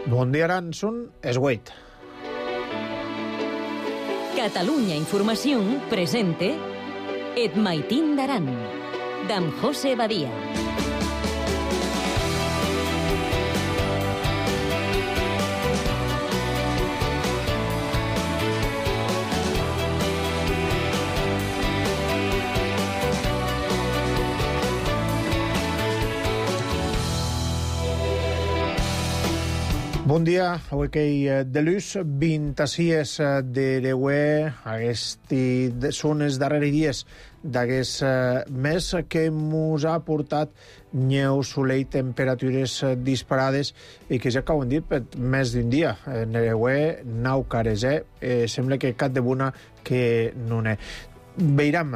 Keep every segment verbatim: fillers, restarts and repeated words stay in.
Bon dia, Aran, són es huit. Catalunya Informació presente Et Maitín d'Aran, d'en José Badia. Bon dia, avui que de luz, vint-i-sis d'Ereuer, aquesti són els darrers dies d'aquest mes que ens ha portat neu, soleil, temperatures disparades i que ja que ho hem dit per més d'un dia. En Ereuer, nou cares, eh? Sembla que cap de bona que no n'hi Veiram,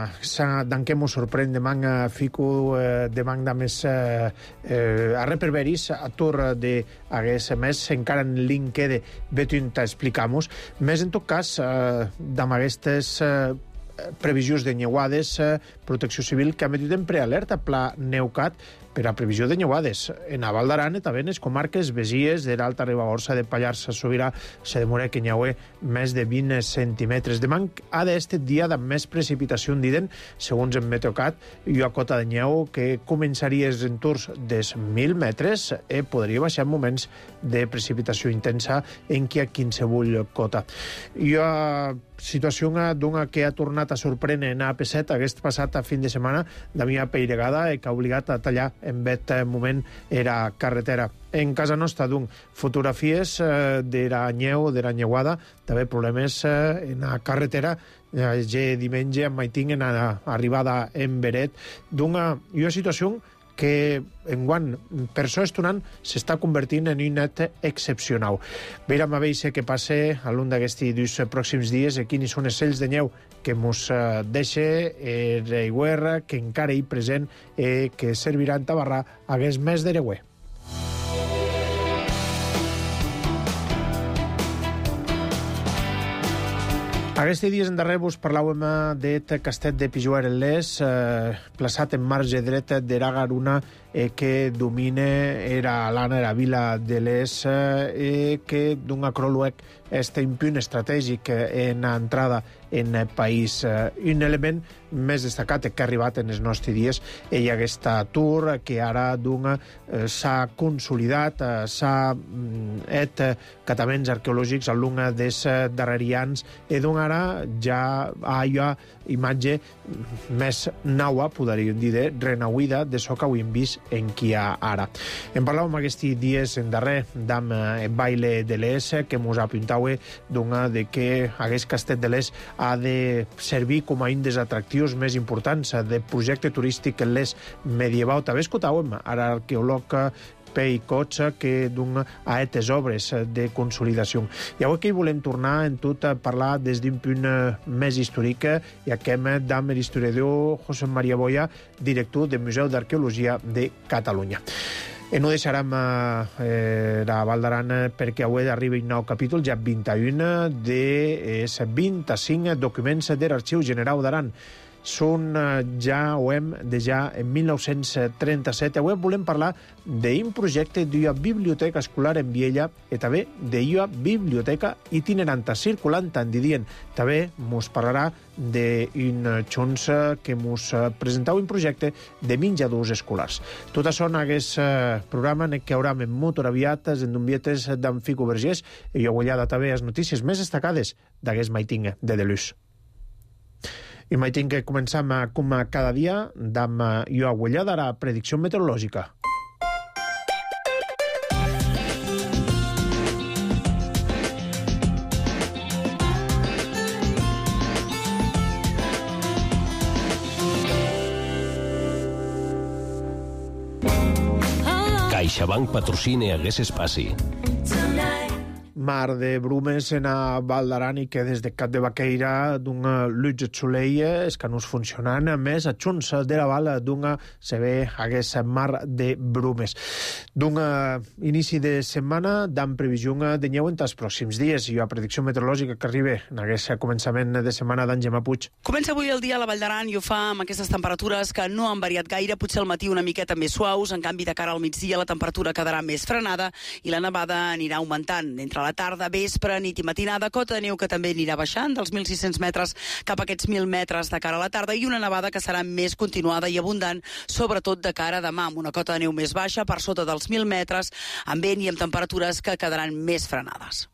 d'en què mos sorprèn demà fico eh, demà de més eh, eh, a reperveris a tur d'aquest mes, encara en link quede betunt explicamos. Més en tot cas, eh, d'amb aquestes eh, previsions de neuades, eh, Protecció Civil que ha metit en prealerta Pla Neucat per a previsió de neuades en a Val d'Aran i també en les comarques besies de l'Alta Ribagorça, de Pallars Sobirà. Se demora que n'hi haurà més de vint centímetres. Demà ha d'este dia de més precipitació, diden, segons en Meteocat, i una cota de neu que començaria els entorns dels mil metres i podria baixar en moments de precipitació intensa en qui ha quinsevull cota. I una situació d'una que ha tornat a sorprendre en A P set aquest passat fin de setmana, de mi apeiregada, que ha obligat a tallar en aquest moment era carretera. En casa nostra, doncs, fotografies eh, de la neu, de la neuada, també problemes eh, en la carretera, eh, diumenge en Maitín, en la arribada en Beret, d'una una situació que enguany, per això estonant, s'està convertint en un net excepcional. Veurem a veure què passa a l'un d'aquests dos pròxims dies, i quins són els cells de neu que ens deixa l'Ereuer, que encara hi present, i que serviran a barrar aquest mes d'Ereuer. Aquests dies en darrer vos parlàvem d'et castet de Pijuar en Les, eh, plaçat en marge dreta d'era garuna eh, que domina era l'ana, era vila de Les, eh, que d'un acròluec este un punt estratègic en entrada en el país. Eh, un element més destacat que ha arribat en els nostres dies i aquest tour que ara d'un eh, s'ha consolidat, eh, s'ha et cataments arqueològics a l'una dels darrerians i d'un ara ja hi ha imatge més naua, podríem dir, de renauïda de so que ho hem vist en qui hi ha ara. En parlàvem aquests dies en darrer d'amb el baile de l'Es, que mos apuntava d'una de que aquest castet de l'Es ha de servir com a un dels atractius més importants de projecte turístic en l'Es medieval. També escoltàvem ara l'arqueòleg Pei Cotxa, que d'un a etes obres de consolidació. I avui que hi volem tornar en tot a parlar des d'un punt més històric i aquest d'amb l'historiador José María Boya, director del Museu d'Arqueologia de Catalunya. I no deixarem eh, la Val d'Aran perquè avui arriba un nou capítol, ja vint-i-un, de vint-i-cinc documents de l'Arxiu General d'Aran. Són ja, ho hem de ja en mil nou-cents trenta-set. Avui volem parlar d'un projecte d'una biblioteca escolar en Viella i també d'una biblioteca itinerant circulant, en didien. També mos parlarà d'un xons que mos presentava un projecte de menjadors escolars. Tot això en aquest programa en què haurem en molt aviat en d'umbietes d'en Fico Vergés i jo guanyada també les notícies més destacades d'aquest Maitín de Delus. I mai tinc que començar com cada dia d'amb jo aguellada la predicció meteorològica. CaixaBank patrocina hagués espaci. mar de brumes en a Val d'Aran i que des de Cap de Baqueira d'un lutge soleil és que no es funcionant més a Junts de la Val d'un se ve hagués mar de brumes. D'un inici de setmana d'am previsió de neu en els pròxims dies i la predicció meteorològica que arriba en aquest començament de setmana d'en Gemma Puig. Comença avui el dia a la Vall d'Aran i ho fa amb aquestes temperatures que no han variat gaire, potser al matí una miqueta més suaus, en canvi de cara al migdia la temperatura quedarà més frenada i la nevada anirà augmentant. Entre la tarda, vespre, nit i matinada, cota de neu que també anirà baixant dels mil sis-cents metres cap a aquests mil metres de cara a la tarda i una nevada que serà més continuada i abundant, sobretot de cara a demà, amb una cota de neu més baixa per sota dels mil metres, amb vent i amb temperatures que quedaran més frenades.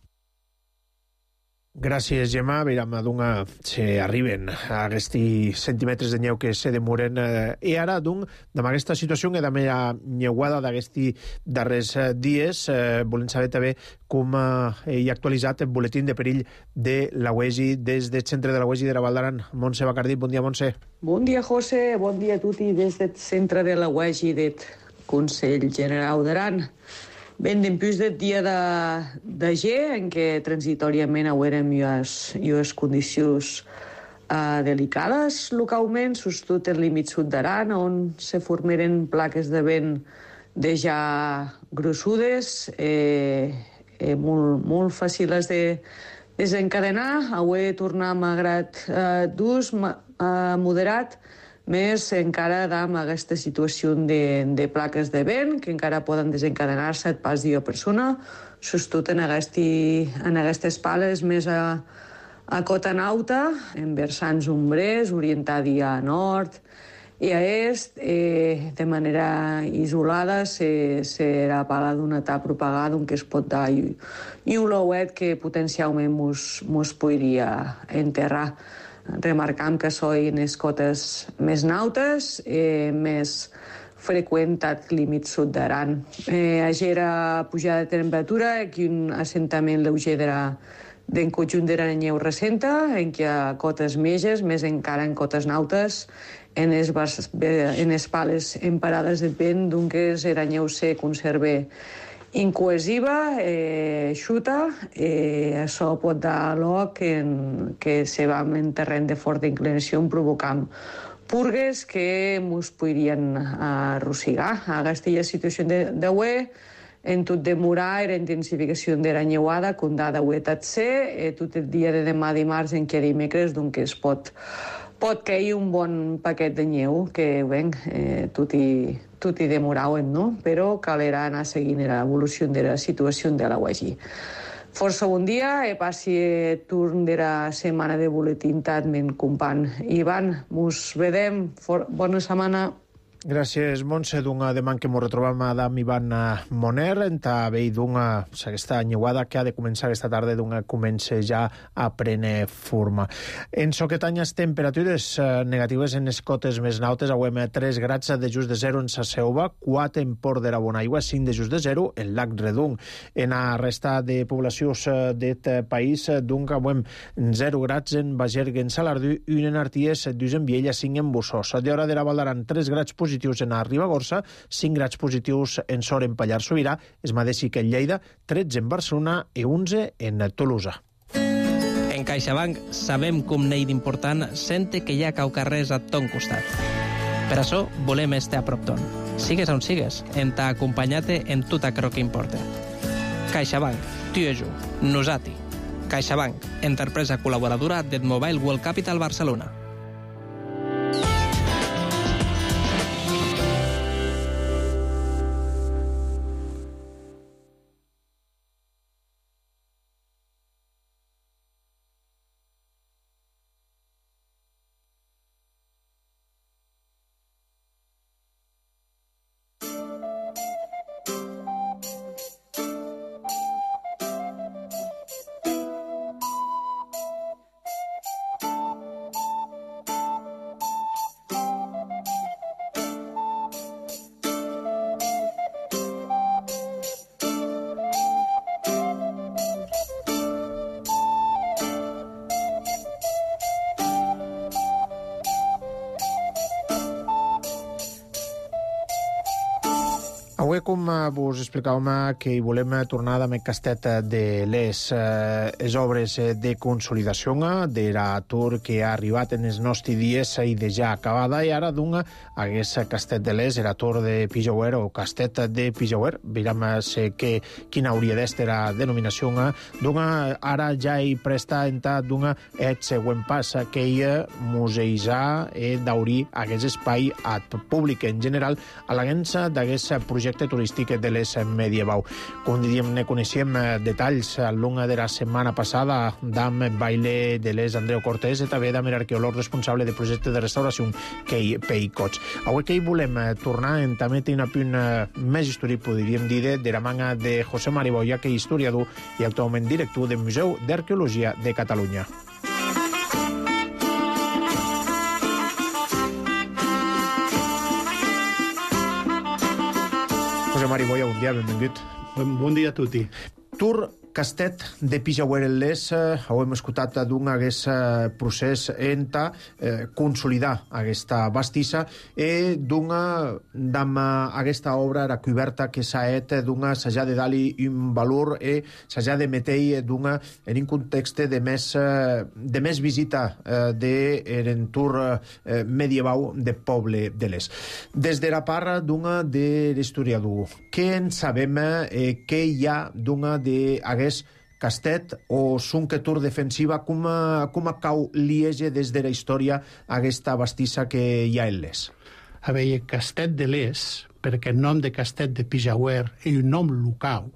Gràcies, Gemma. Veiem d'una se arriben a aquests centímetres de neu que se demoren. I ara, doncs, amb aquesta situació que també hi ha neuada d'aquests darrers dies, eh, volem saber també com eh, hi ha actualitzat el boletín de perill de la U E G I des del centre de la U E G I de la Val d'Aran. Montse Bacardí, bon dia, Montse. Bon dia, José. Bon dia a tutti des del centre de la U E G I del Consell General d'Aran. Ben dempús del dia de, de G, en què transitoriament haurem les, les condicions uh, delicades localment, sobretot el límit sud d'Aran, on se formeren plaques de vent de ja grossudes, eh, eh, molt, molt fàcils de desencadenar. Avui tornar malgrat eh, d'ús uh, moderat, més encara amb aquesta situació de, de plaques de vent que encara poden desencadenar-se et pas dia persona, sobretot en, aquest, en aquestes pales més a, a cota nauta, en versants ombrers, orientada a nord i a est, eh, de manera isolada, se, serà pala d'una etapa propagada on que es pot dar i, i un louet que potencialment mos, mos podria enterrar. Remarcam que són les cotes més nautes, eh, més freqüentat límit sud d'Aran. Eh, agera pujada de temperatura, aquí un assentament lleuger d'en conjunt de la neu recenta, en què hi ha cotes meges, més encara en cotes nautes, en les, en les pales emparades de vent, d'un que és la neu se conserva incohesiva, eh, xuta, eh, això pot dar lloc en, que se va en terreny de forta inclinació provocant purgues que ens podrien arrossigar. Aquesta situació de, de U E, en tot demorar la intensificació de la neuada, com dada U E T C, eh, tot el dia de demà dimarts en què dimecres, doncs es pot pot cair un bon paquet de neu, que ben, eh, tot i tot i demorauen, no? Però calerà anar seguint l'evolució de la situació de la U E G I. Força bon dia, e passi el turn de la setmana de boletín amb en company Ivan. Mos vedem, For bona setmana. Gràcies, Montse. D'una demà que ens retrobam amb Ivan Moner, enta vell d'una aquesta nyuada que ha de començar aquesta tarda, d'una comença ja a prendre forma. En so que tanyes temperatures negatives en les cotes més nautes, avem tres grads de just de zero en Sasseova, quatre en Port de la Bonaigua, cinc de just de zero en Lac Redung. En la resta de poblacions d'aquest país, doncs, avem zero grads en Bagergue, en Salardú, un en Arties, dos en Viella, cinc en Bussos. A l'hora de la Val d'Aran, tres grads positius en a Ribagorça, cinc grads positius en Sor en Pallars Sobirà, es mateix que en Lleida, tretze en Barcelona i onze en Tolosa. En CaixaBank sabem com n'hi d'important sente que hi ha caucarrers a ton costat. Per això volem estar a prop ton. Sigues on sigues, en ta acompanyat-te en tot aquello que importa. CaixaBank, tu i jo, nosati. CaixaBank, empresa col·laboradora del Mobile World Capital Barcelona. Avui, com vos explicàvem, que hi volem tornar amb el castet de les eh, les obres de consolidació de l'atur que ha arribat en els nostres dies i de ja acabada, i ara d'un hagués castet de les, l'atur de Pijauer o castet de Pijauer, veurem que quina hauria d'estar la denominació, d'un ara ja hi presta entà d'un el següent pas, que hi museïsar i d'obrir aquest espai al públic en general a l'agença d'aquest projecte turístic de les medievau. Com diríem, ne coneixem detalls a l'una de la setmana passada d'am baile de les Andreu Cortés i també d'am arqueòleg responsable de projecte de restauració Kei Peicots. Avui que hi volem tornar en també té una punt més històric, podríem dir, de la manga de José Mariboya, que és historiador i actualment director del Museu d'Arqueologia de Catalunya. José Mariboya, bon dia, benvingut. Bon dia a tutti. Tour Castet de Pijauer-les, eh, hem escoltat d'un aquest eh, procés enta eh, consolidar aquesta bastissa i d'una d'ama aquesta obra era coberta que s'ha et d'una s'ha de dar-li un valor i s'ha de meter d'una en un context de més, eh, de més visita eh, de l'entorn eh, medievau de poble de l'est. Des de la part d'una de l'historiador, què en sabem eh, què hi ha d'una d'aquest castet o sunquetur defensiva, com, com cau liege des de la història aquesta bastissa que hi ha en l'est? A veure, castet de l'est, perquè el nom de castet de Pijauer és un nom local,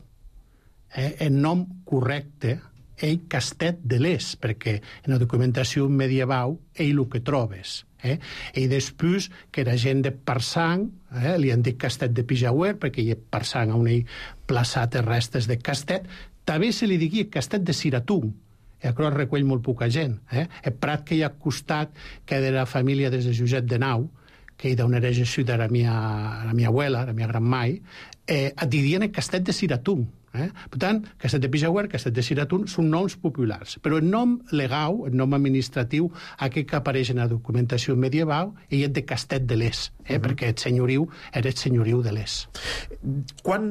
eh? El nom correcte és castet de l'est, perquè en la documentació medieval és el que trobes. Eh? I després que la gent de Parsang, eh, li han dit castet de Pijauer, perquè hi ha Parsang on hi plaçat els restes de castet, també se li digui castet de Siratun, i això recull molt poca gent. Eh? El prat que hi ha costat, que de la família des de Josep de Nau, que hi d'on era Jesús de la mia, la mia abuela, la mia gran mai, eh, et dirien el castet de Siratun. Eh? Per tant, castet de Pijauer, castet de Siratun són noms populars, però el nom legal, el nom administratiu, aquest que apareix en la documentació medieval, és de castet de l'est, eh? Uh-huh. Perquè el senyoriu era el senyoriu de l'est. Quan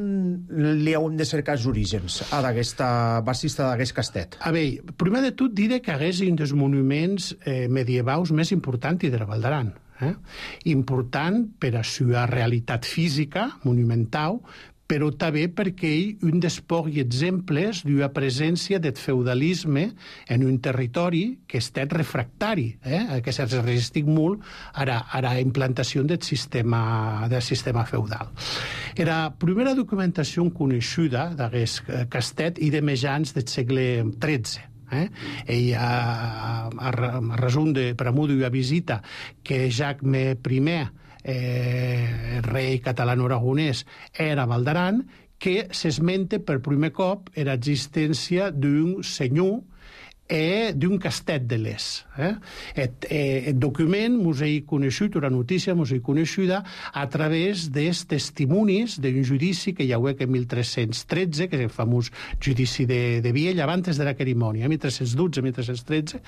li hem de cercar els orígens a d'aquesta bastissa d'aquest castet? A veure, primer de tot diré que és un dels monuments eh, medievals més importants de la Val d'Aran. Eh? Important per a la seva realitat física, monumental, però també perquè hi un dels pocs exemples d'una presència del feudalisme en un territori que ha estat refractari, eh? Que s'ha resistit molt a la, a la implantació del sistema, del sistema feudal. La primera documentació coneguda d'aquest castet i de mitjans del segle tretze. Eh? I a, a, a resum de, per amor d'una visita que Jacques I, eh, rei catalano-aragonès, era Val d'Aran, que s'esmenta per primer cop l'existència d'un senyor e d'un castet de l'est. Eh? El, el document mos he conegut, la notícia mos he coneguda a través dels testimonis d'un judici que hi ha hagut en mil tres-cents tretze, que és el famós judici de, de Viella, abans de la cerimònia, mil tres-cents dotze mil tres-cents tretze,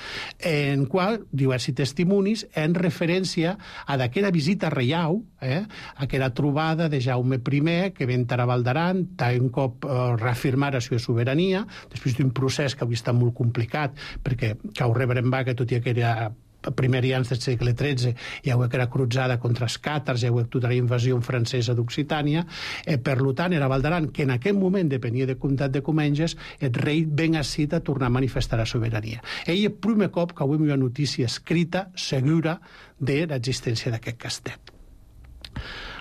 en qual diversos testimonis en referència a d'aquella visita reial, eh? Aquella trobada de Jaume I, que ven a Val d'Aran, un cop eh, reafirmar la seva sobirania, després d'un procés que avui està molt complicat, perquè cau rebrembar que tot i que era primers anys del segle tretze hi ha hagut la cruzada contra els càtars, hi ha hagut tota la invasió francesa d'Occitània, eh, per tant era Val d'Aran, que en aquell moment depenia del comtat de Comenges, el rei ben així a tornar a manifestar la sobirania. Ell és el primer cop que avui hi ha una notícia escrita, segura, de l'existència d'aquest castet.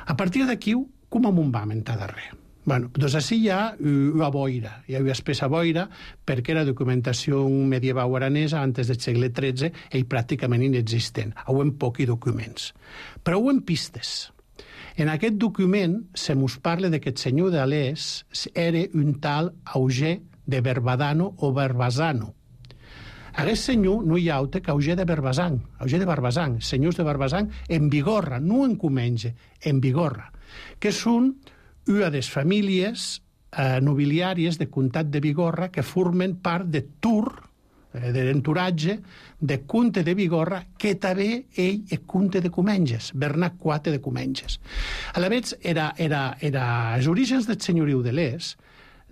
A partir d'aquí, com amunt va mentar de res? Bueno, doncs així hi ha una boira, hi ha una espessa boira, perquè la documentació medieval aranesa, antes del segle tretze, és pràcticament inexistent. Hauem pocs documents. Però hauem pistes. En aquest document se mos parla que el senyor de l'est era un tal Auger de Barbadano o Barbasano. Aquest senyor no hi ha altre que Auger de Barbasang, Auger de Barbasang, senyors de Barbasang, en Bigorra, no en Comenge, en Bigorra, que són una de les famílies eh, nobiliàries de comtat de Bigorra que formen part de Tour, d'entoratge de Comte de Bigorra, que també ell és Comte de Comenges, Bernat quatre de Comenges. A la vegada, era, era, era, els orígens del senyoriu de l'Es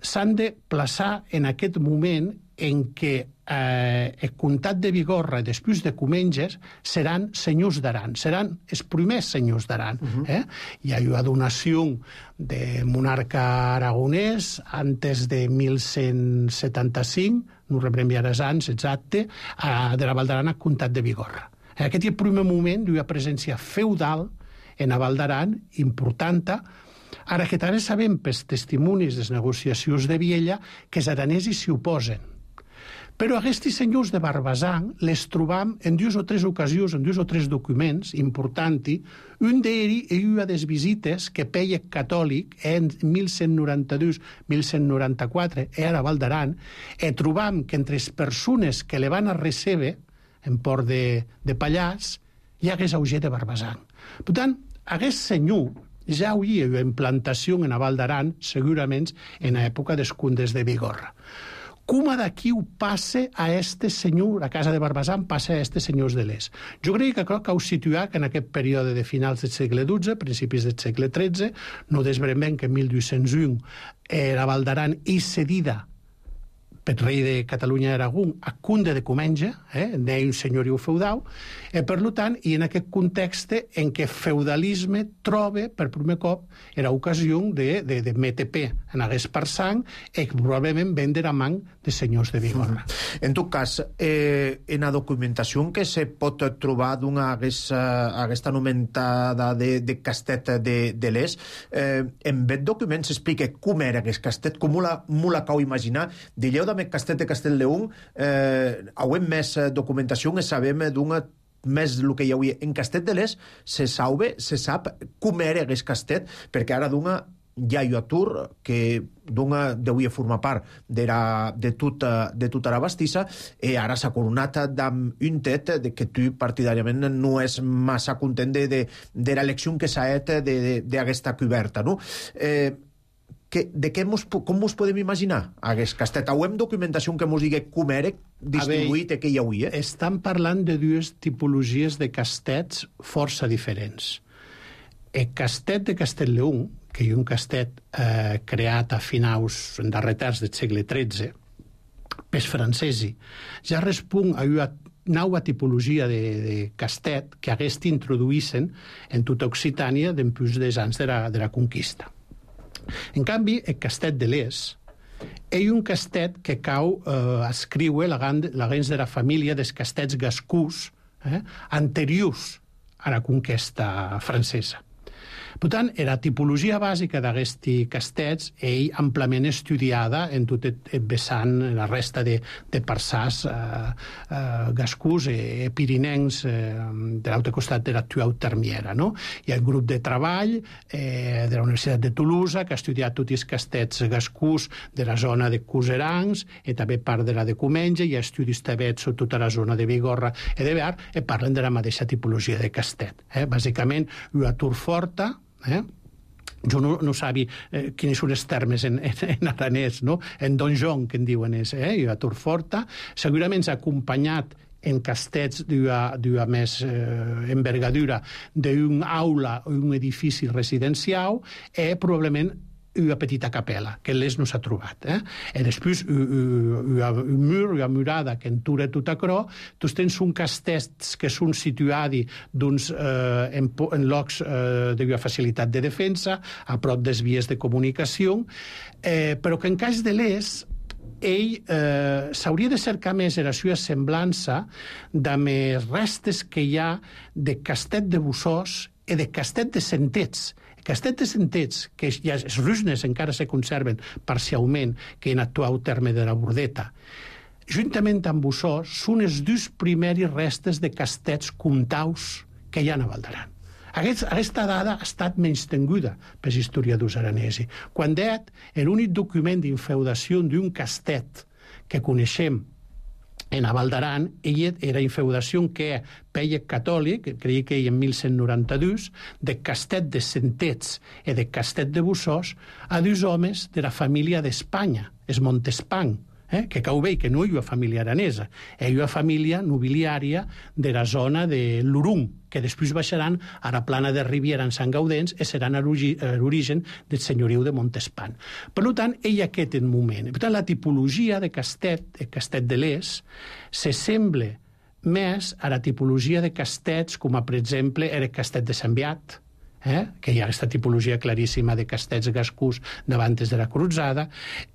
s'han de plaçar en aquest moment en què eh, el comtat de Bigorra, després de Comenges, seran senyors d'Aran, seran els primers senyors d'Aran. Uh-huh. eh? Hi ha una donació de monarca aragonès antes de mil cent setanta-cinc, no rebrem ja els anys exacte, eh, de la Val d'Aran al comtat de Bigorra. En aquest és el primer moment d'una presència feudal en la Val d'Aran, important. Ara que també sabem pels testimonis de les negociacions de Viella que els aranesos s'hi oposen. Però aquests senyors de Barbasang les trobam en dues o tres ocasions, en dues o tres documents importants. Un d'ells és una de les visites que Pell catòlic en mil cent noranta-dos a mil cent noranta-quatre era a Val d'Aran, i trobam que entre les persones que le van a recebre en port de, de Pallars hi hagués Auger de Barbasang. Per tant, aquest senyor ja hi havia implantació en la Val d'Aran, segurament en l'època dels condes de Bigorra. Com d'aquí ho passa a este senyor, a casa de Barbasang, passa a este senyors de l'Es. Jo crec que cal ho situar que en aquest període de finals del segle dotze, principis del segle tretze, no desbremem que en mil vuit-cents u eh, la Val d'Aran és cedida pel rei de Catalunya i Aragó a Comte de Comenge, eh, un senyoriu feudal, eh, per tant, i en aquest context en què feudalisme troba, per primer cop, era ocasió de, de, de M T P en hagués per sang, i probablement vendre a man de senyors de Bigorra. Mm. En tot cas, eh, en la documentació que se pot trobar d'una aquesta anomentada de, de castet de, de l'Es, eh, en aquest document s'explica com era aquest castet, com la, la cau imaginar, dilleu de castet de Castelldeung, eh, hauem més documentació que sabem d'una més el que hi havia. En Castet de l'Es se sabe, se sap com era aquest castet, perquè ara d'una hi ha un atur que d'una deuia formar part de, la, de, tota, de tota la bastissa, i ara s'ha coronat amb un tet de que tu partidàriament no és massa content de, de, de l'elecció que s'ha fet d'aquesta coberta, no? Eh, Que, de què mos, com mos podem imaginar aquest castet? Hauem documentació que mos digui com era distribuït i què hi havia? Estan parlant de dues tipologies de castets força diferents. El castet de Castelldeung, que és un castet eh, creat a finals en darrer terç del segle tretze, pels francesi, ja respon a una nova tipologia de, de castet que hagués introduïssen en tota Occitània després dels anys de la, de la conquista. En canvi, el castet de l'Es és un castet que cau eh, escriure la gens de la família dels castets gascús eh, anteriors a la conquesta francesa. Per tant, la tipologia bàsica d'aquests castets és amplament estudiada en tot el vessant, la resta de, de parsars eh, eh, gascús i pirinencs eh, de l'altre costat de l'actual Termiera. No? Hi ha un grup de treball eh, de la Universitat de Toulouse que ha estudiat tots els castets gascús de la zona de Cuserangs i també part de la de Comenge, hi ha estudis també sobre tota la zona de Bigorra i de Bear, i parlen de la mateixa tipologia de castet. Eh? Bàsicament, una turforta, Eh? jo no, no sabi eh, quins són els termes en, en, en aranès, no? En donjon, que en diuen és, eh? I a turforta, segurament s'ha acompanyat en castets d'una més eh, envergadura d'un aula o un edifici residencial, i probablement una petita capella, que l'Es no s'ha trobat. Eh? I després, un mur, una murada que entura tot acrò, tots tens un castets que són situats doncs, eh, en, en llocs eh, d'una facilitat de defensa, a prop des vies de comunicació, eh, però que en cas de l'Es, ell eh, s'hauria de cercar més la seva semblança de les restes que hi ha de castet de Bussós i de castet de Sentets. Castet de Sentets, que ja les ruïnes encara se conserven parcialment, que en actual terme de la Bordeta, juntament amb Bussós, són els dos primeris restes de castets comtaus que hi ha a Val d'Aran. Aquest, aquesta dada ha estat menystinguda pels historiadors aranesos. Quan det, l'únic document d'infeudació d'un castet que coneixem en a Val d'Aran, ella era infeudació que Pell catòlic, creia que en mil cent noranta-dos, de castet de Sentets i de castet de Bussós, a dos homes de la família d'Espanya, els Montespan, Eh? Que cau bé que no hi ha família aranesa, hi ha família nobiliària de la zona de l'Urung, que després baixaran a la plana de Riviera en Sant Gaudens i seran l'origen del senyoriu de Montespan. Per tant, hi ha aquest moment. Per tant, la tipologia de Castet, de Castet de l'Es, s'assembla més a la tipologia de castets, com a, per exemple, era el Castet de Sant Beat, Eh? que hi ha aquesta tipologia claríssima de castets gascús davant de la Cruzada,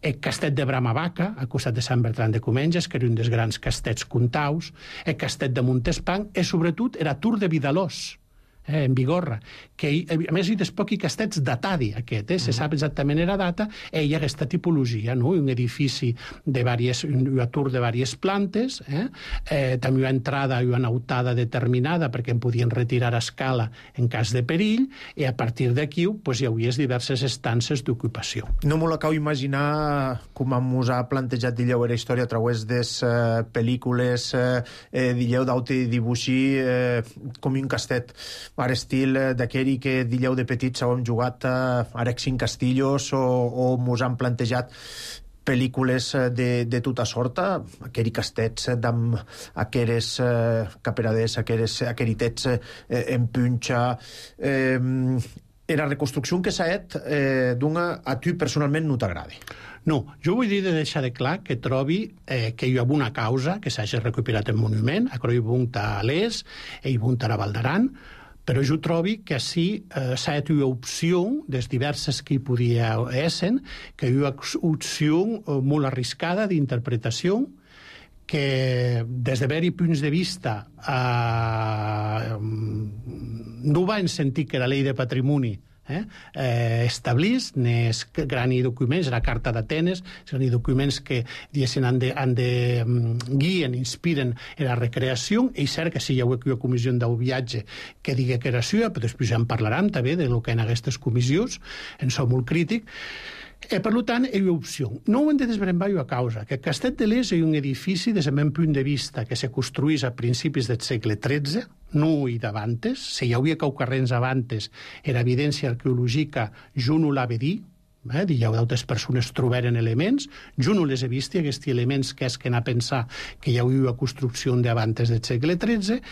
el castet de Bramavaca, al costat de Sant Bertran de Comenges, que era un dels grans castets contaus, el castet de Montespan, i sobretot era Tour de Vidalós, eh, en Bigorra, que a més hi ha pocs castets datadi aquest, eh? se sap exactament la data, i hi ha aquesta tipologia, no? Un edifici de diverses, un tour de diverses plantes, eh? Eh, també hi ha entrada, hi ha una autada determinada perquè en podien retirar a escala en cas de perill, i a partir d'aquí pues, hi hauria diverses estances d'ocupació. No m'ho acabo imaginar com mos ha plantejat Dilleu era història a través des eh, pel·lícules eh, Dilleu d'aute dibuixir eh, com un castet ara estil d'aquell que Dilleu de petits hem jugat a Arexin Castillos o, o mos han plantejat pel·lícules de, de tota sorta, aquells castets amb aquelles eh, caperaders, aquelles aqueritets eh, en punxa. Eh, era reconstrucció que s'ha fet eh, d'una a tu personalment no t'agrada. No, jo vull dir de deixar de clar que trobi eh, que hi ha una causa que s'hagi recuperat el monument, a Croi Bunt a l'Es i Bunt a la Val d'Aran, però jo trobo que així eh, s'ha fet una opció, des diverses que hi podia ésser, que hi ha una opció eh, molt arriscada d'interpretació, que des de haver-hi punts de vista eh, no va en sentit que la llei de patrimoni Eh? Eh, establís nes grans documents, la Carta d'Atenes, són documents que han de, han de um, guien, inspiren en la recreació, i cert que sí hi ha una comissió d'un viatge que digui que era seva, però després ja en parlaran també de lo que en aquestes comissions, en som molt crític. E, per tant, hi ha opció. No ho hem de desbrembar a causa, que Castet de l'Es és un edifici des del meu punt de vista que se construís a principis del segle tretze, no i d'avantes. Si hi havia caucarrens avantes, era evidència arqueològica, jo no l'ha de dir, eh? Hi ha d'altres persones trobaren elements, jo no les he vist, aquests elements que és que anar a pensar que hi havia una construcció d'avantes del segle tretze.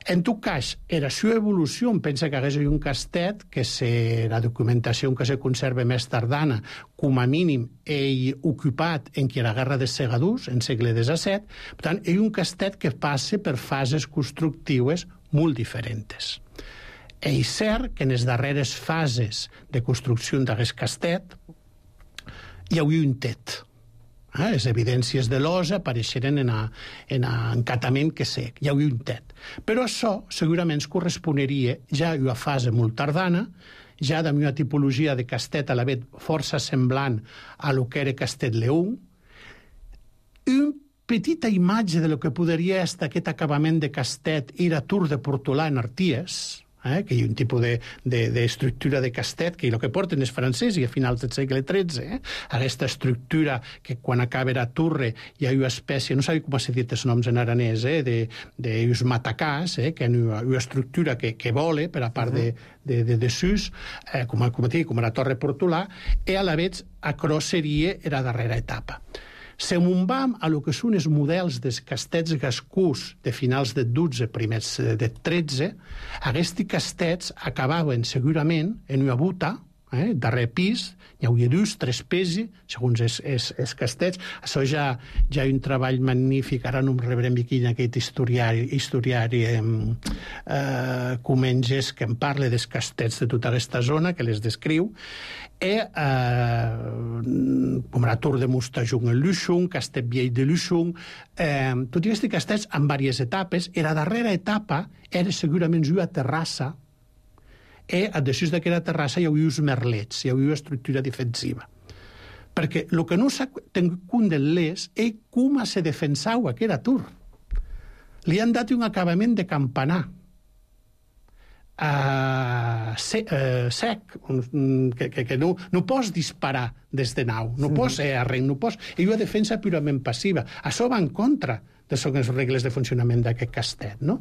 En tot cas, era seva evolució, em pensa que hagués un castet que se, la documentació que se conserva més tardana, com a mínim, ell ocupat en que la guerra dels segadors, en segle disset. Per tant, és un castet que passa per fases constructives molt diferents. És cert que en les darreres fases de construcció d'aquest castet hi havia un tet. Eh, les evidències de l'osa apareixeren en encatament que sé, hi havia un tet. Però això segurament corresponeria ja a una fase molt tardana, ja de una tipologia de castet a la vegada força semblant a lo que era Castet Leung, una petita imatge de lo que podria ser aquest acabament de castet era Tour de Portolà en Arties, Eh, que hi ha un tipus d'estructura de, de, de castet que el que porten és francès i a finals del segle tretze, eh, aquesta estructura que quan acaba la torre hi ha una espècie, no sabia com s'ha dit els noms en aranès, eh, de, de uns matacàs, eh, que hi ha una, una estructura que, que vola per a part uh -huh. de, de, de, de sus, eh, com, com, com la Torre Portolà, i a la vegada acrò seria la darrera etapa. Se munvam a lo que són els models dels castets gascús de finals del dotze, primers del tretze, aquests castets acabaven segurament en una buta, eh, darrer pis, hi hauria dos, tres pesos, segons els, els, els castets. Això ja, ja hi ha un treball magnífic, ara no em rebrem aquí en aquest historiari, historiari eh, eh, Comenges, que em parla dels castets de tota aquesta zona, que les descriu, i eh, com la Tour de Mustajung en Luxung, Castet Vieil de Luxung, eh, tots aquests castets en diverses etapes, i la darrera etapa era segurament una terrassa, i a desús d'aquesta terrassa hi havia uns merlets, hi havia una estructura defensiva. Perquè el que no s'ha tingut compte de l'Es és com se defensava aquesta Tour. Li han dat un acabament de campanar, Uh, se, uh, sec, que, que, que no, no pots disparar des de nau, no pots ser arrenc, no pots... És una defensa purament passiva. Això va en contra de les regles de funcionament d'aquest castet, no?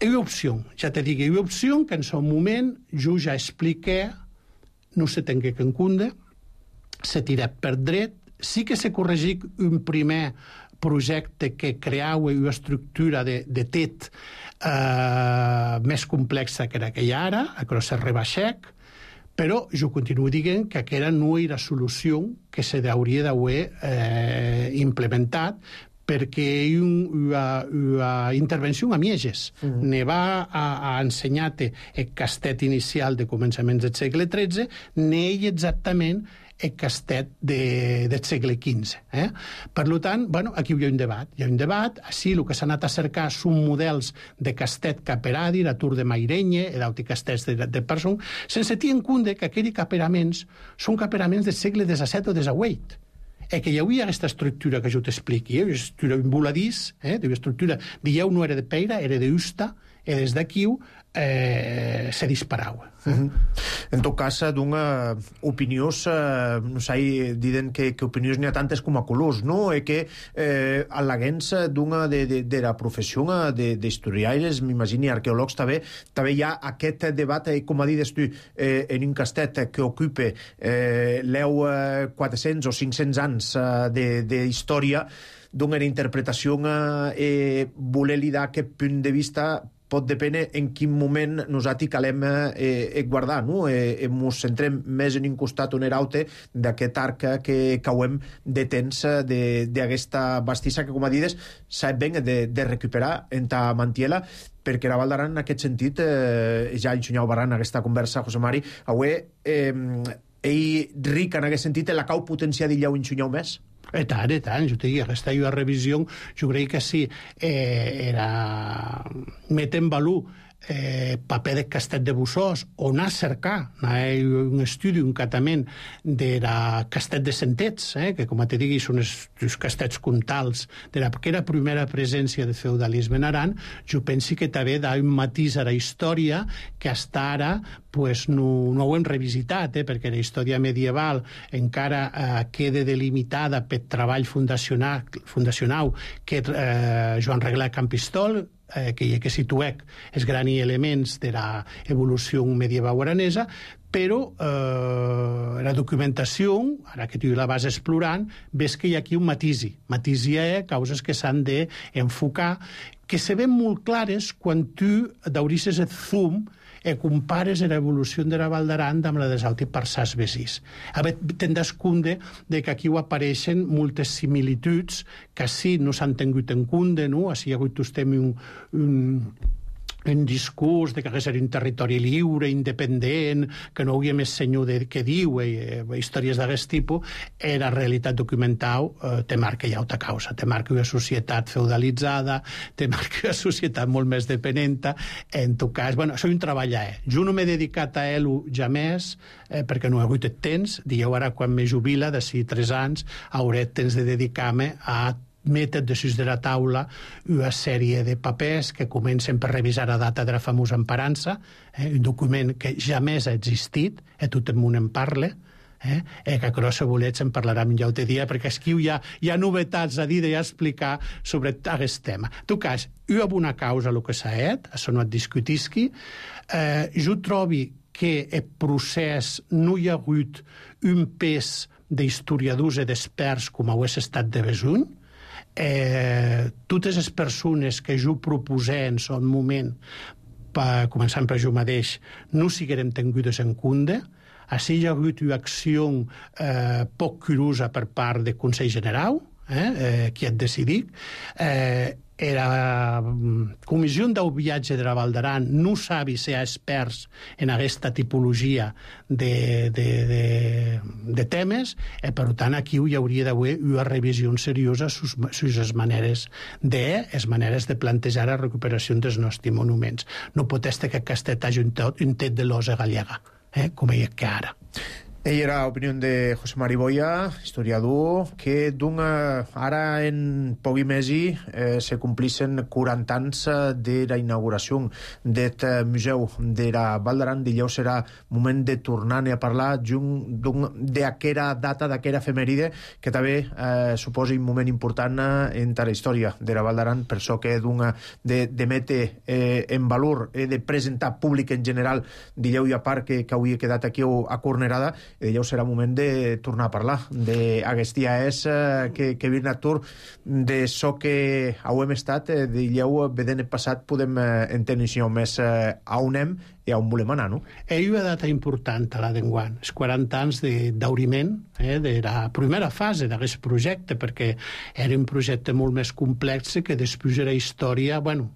Hi ha opció, ja te dic, hi ha opció que en el moment jo ja expliqué, no se tingué que encunde, se tira per dret, sí que se corregic un primer projecte que creava una estructura de, de tet eh, més complexa que era que hi ha ara, que se rebaixec, però jo continuo dient que aquella no era solució que se hauria d'haver eh, implementat, perquè hi ha una, una intervenció a Mieges. Mm-hmm. Ne va a, a ensenyar-te el castet inicial de començaments del segle tretze, n'ell exactament el castet de, del segle quinze. Eh? Per tant, bueno, aquí hi ha un debat. Hi ha un debat, així el que s'ha anat a cercar són models de castet caperadi, la Tour de Mairenye, l'auti castets de, de Person, sense tenir en compte que aquells caperaments són caperaments del segle disset o disset. E que hi havia aquesta estructura que jo t'expliqui, eh? Una estructura en voladís, eh? Una estructura, dieu, no era de peira, era d'usta, i des d'aquí eh, se disparava. Mm-hmm. En tot cas, d'una opiniós, eh, no sé, diden que, que opiniós n'hi ha tantes com a colors, no? E que eh, al·leguents d'una de, de, de la professió d'historiaires, m'imagini, arqueòlegs, també, també hi ha aquest debat, eh, com a dides tu, eh, en un castet que ocupa eh, l'eu eh, quatre-cents o cinc-cents anys eh, d'història, d'una interpretació eh, voler-li dar aquest punt de vista pot dependre en quin moment nosaltres calem eh, guardar, no? Eh, ens centrem més en un costat o en l'altre d'aquest arc que cauem de temps d'aquesta bastissa que, com a dides, s'ha ben de, de recuperar en ta mantiela, perquè la Val d'Aran, en aquest sentit, eh, ja ensenyau Baran aquesta conversa, José Mari, avui, eh, ell ric en aquest sentit, la cau potenciar d'illeu ensenyau més? E tant, e tant, jo te dic, aquesta una revisió, jo crec que sí, eh, era met en valor eh, paper de castet de Bussós, on a cercar eh, un estudi, un catament de la castet de Sentets, eh, que com te digui són els, els castets comtals de la que era primera presència de feudalisme en Aran, jo penso que també da un matís a la història que hasta ara pues, no, no ho hem revisitat, eh, perquè la història medieval encara eh, queda delimitada per treball fundacional, fundacional que eh, Joan Reglà Campistol, eh, que, que situec els grans elements de l'evolució medieval aranesa, però eh, la documentació, ara que tu la vas explorant, ves que hi ha aquí un matisi. Matisi és causes que s'han d'enfocar, que se ven molt clares quan tu daurisses el zoom e compares l'evolució de la Val d'Aran amb la dels altres parsats vesís. A veure, tindràs compte de que aquí apareixen moltes similituds que sí no s'han tingut en compte, no? Així hi ha hagut un, un, un discurs de que hagués un territori lliure, independent, que no hi havia més senyor de, que diu, eh, històries d'aquest tipus, eh, la realitat documental eh, te marca ja altra causa, te marca una societat feudalitzada, te marca una societat molt més dependenta, en tot cas, bueno, això és un treball, eh? Jo no m'he dedicat a ell ja més, eh, perquè no he hagut el temps, dieu ara quan me jubila, d'ací tres anys, hauré temps de dedicar-me a metre desús de la taula una sèrie de papers que comencen per revisar la data de la famosa emparança, eh, un document que jamais ha existit, i tot el món en parla, eh, eh, que a si volets en parlarem ja un altre dia, perquè aquí hi ha, hi ha novetats a dir i a explicar sobre aquest tema. En tot cas, hi ha una causa el que s'ha fet, això no et discutisqui, eh, jo trobo que el procés no hi ha hagut un pes d'historiadors i d'experts com ho és estat de Besuny. Eh, totes les persones que jo proposé en son moment, pa, començant per jo mateix, no siguerem tingudes en compte. Així hi ha hagut una acció eh, poc curosa per part del Consell General, eh, eh, qui ha decidit. Eh, la Comissió del Viatge de la Val d'Aran no sabi ser experts en aquesta tipologia de, de, de, de temes, i per tant aquí hi hauria d'haver una revisió seriosa sobre les maneres de, les maneres de plantejar la recuperació dels nostres monuments. No pot estar que aquest hagi un, un tet de l'osa gallega, eh, com hi ha que ara. Ell era l'opinió de José Mari Boya, historiador, que d'una, ara en poc mesi eh, se complissen quaranta anys de la inauguració d'aquest museu de la Val d'Aran. Dijous serà moment de tornar a parlar d'aquella data, d'aquella efemèride, que també eh, suposa un moment important en la història de la Val d'Aran, per això que d'una de, de metre eh, en valor, eh, de presentar públic en general, dijous i a part que, que avui he quedat aquí a Cornerada, i dèieu serà moment de tornar a parlar d'aquest dia és eh, que, que vir Artur de so que hauem estat, eh, dèieu, vedent el passat podem eh, entendre més eh, a on hem i a on volem anar, no? Hi ha una data important a la d'enguany, els quaranta anys d'auriment eh, de la primera fase d'aquest projecte, perquè era un projecte molt més complex que després de la història, bueno,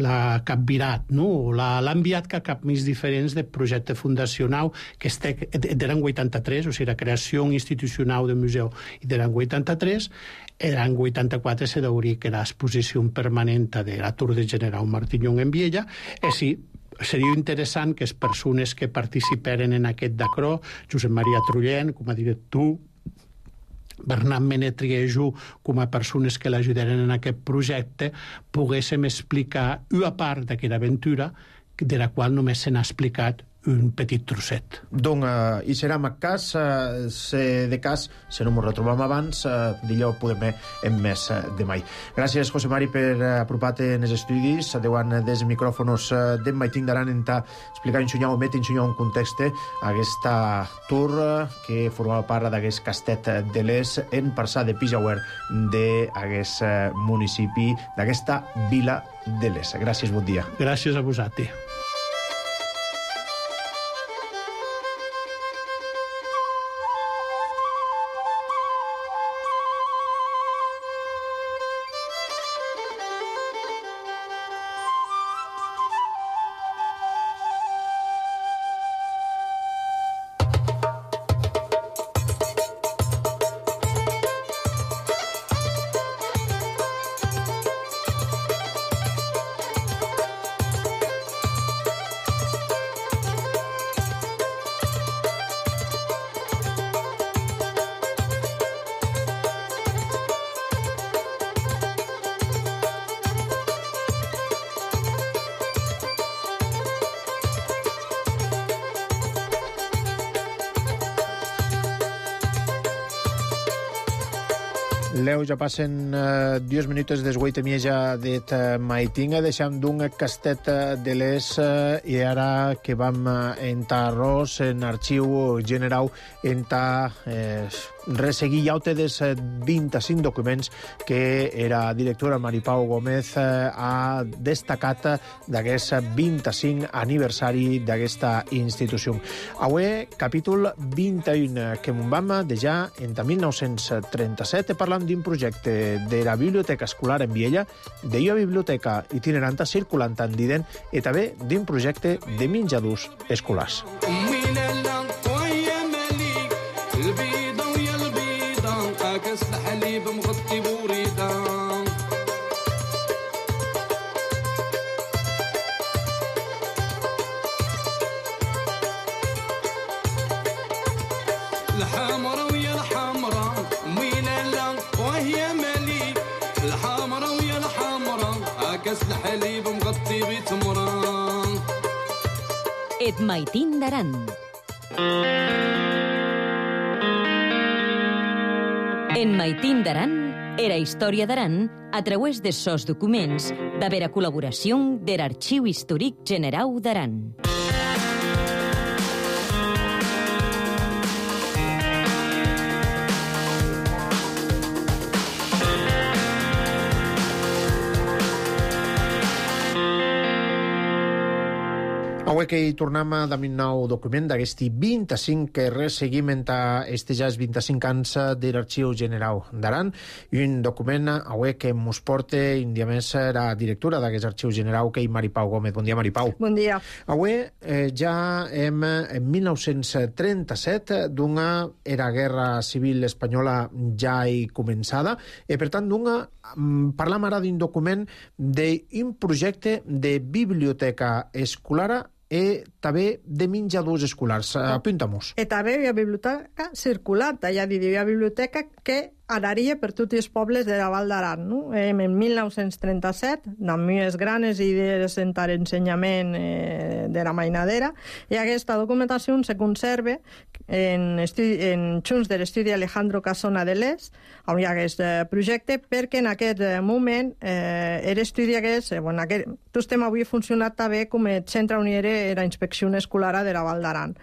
l'ha capvirat, no? L'ha enviat que cap més diferents del projecte fundacional, que este, de l'any vuitanta-tres, o sigui, la creació institucional del museu i de l'any vuitanta-tres, l'any vuitanta-quatre se deuria que l'exposició permanent de l'Artur de General Martinyón en Viella, i sí, seria interessant que les persones que participaren en aquest d'acrò, Josep Maria Trullent, com a director, Bernat Menetriejo, com a persones que l'ajudaren en aquest projecte, poguéssim explicar una part d'aquesta aventura de la qual només se n'ha explicat un petit trosset. Donc, uh, hi serà en cas, uh, se de cas, si no m'ho retrobam abans, uh, d'allò podem en més uh, de mai. Gràcies, José Mari, per uh, apropar-te en els estudis, davant dels micròfonos uh, d'en Maitín d'Aran, en ta explicar ensenyar o met ensenyar un context aquesta tour uh, que formava part d'aquest castet de l'Es en Parsà de Pijauer d'aquest uh, municipi, d'aquesta vila de l'Es. Gràcies, bon dia. Gràcies a vosaltres. Leu, ja passen uh, dies minuts des vuit i mitja de Maitinga, deixant d'un castet de l'Es uh, i ara que vam uh, entrar arròs en arxiu general entrar eh, resseguir llaute dels vint-i-cinc documents que era directora Maripau Gómez eh, ha destacat d'aquest vint-i-cinc aniversari d'aquesta institució. Avui, capítol vint-i-un, que m'ho vam deixar entre mil nou-cents trenta-set parlant d'un projecte de la Biblioteca Escolar en Viella, de la biblioteca itineranta circulant en Diden i també d'un projecte de menjadors escolars. Et Maitín d'Aran. En Maitín d'Aran era història d'Aran a través de sos documents d'haver a col·laboració de l'Arxiu Històric Generau d'Aran. Avui que hi tornem a un nou document d'aquest vint-i-cinc que resseguim entre este ja els vint-i-cinc anys de l'Arxiu General d'Aran, i un document avui que mos porta un dia més la directora d'aquest Arxiu General, que és Maripau Gómez. Bon dia, Maripau. Bon dia. Avui eh, ja hem en mil nou-cents trenta-set, d'una era guerra civil espanyola ja hi començada, i per tant d'una parlam ara d'un document d'un projecte de biblioteca escolar i també de menjadors escolars. Apunta-mos. I també hi ha biblioteca circular, hi ha una biblioteca que anaria per tots els pobles de la Val d'Aran. No? En mil nou-cents trenta-set, amb més grans idees en l'ensenyament eh, de la mainadera, i aquesta documentació se conserva en, en junts de l'estudi Alejandro Casona de l'Es, on hi ha aquest projecte, perquè en aquest moment eh, era estudi aquest, bueno, aquest estem avui funcionat també com a centre on hi era la inspecció escolar de la Val d'Aran.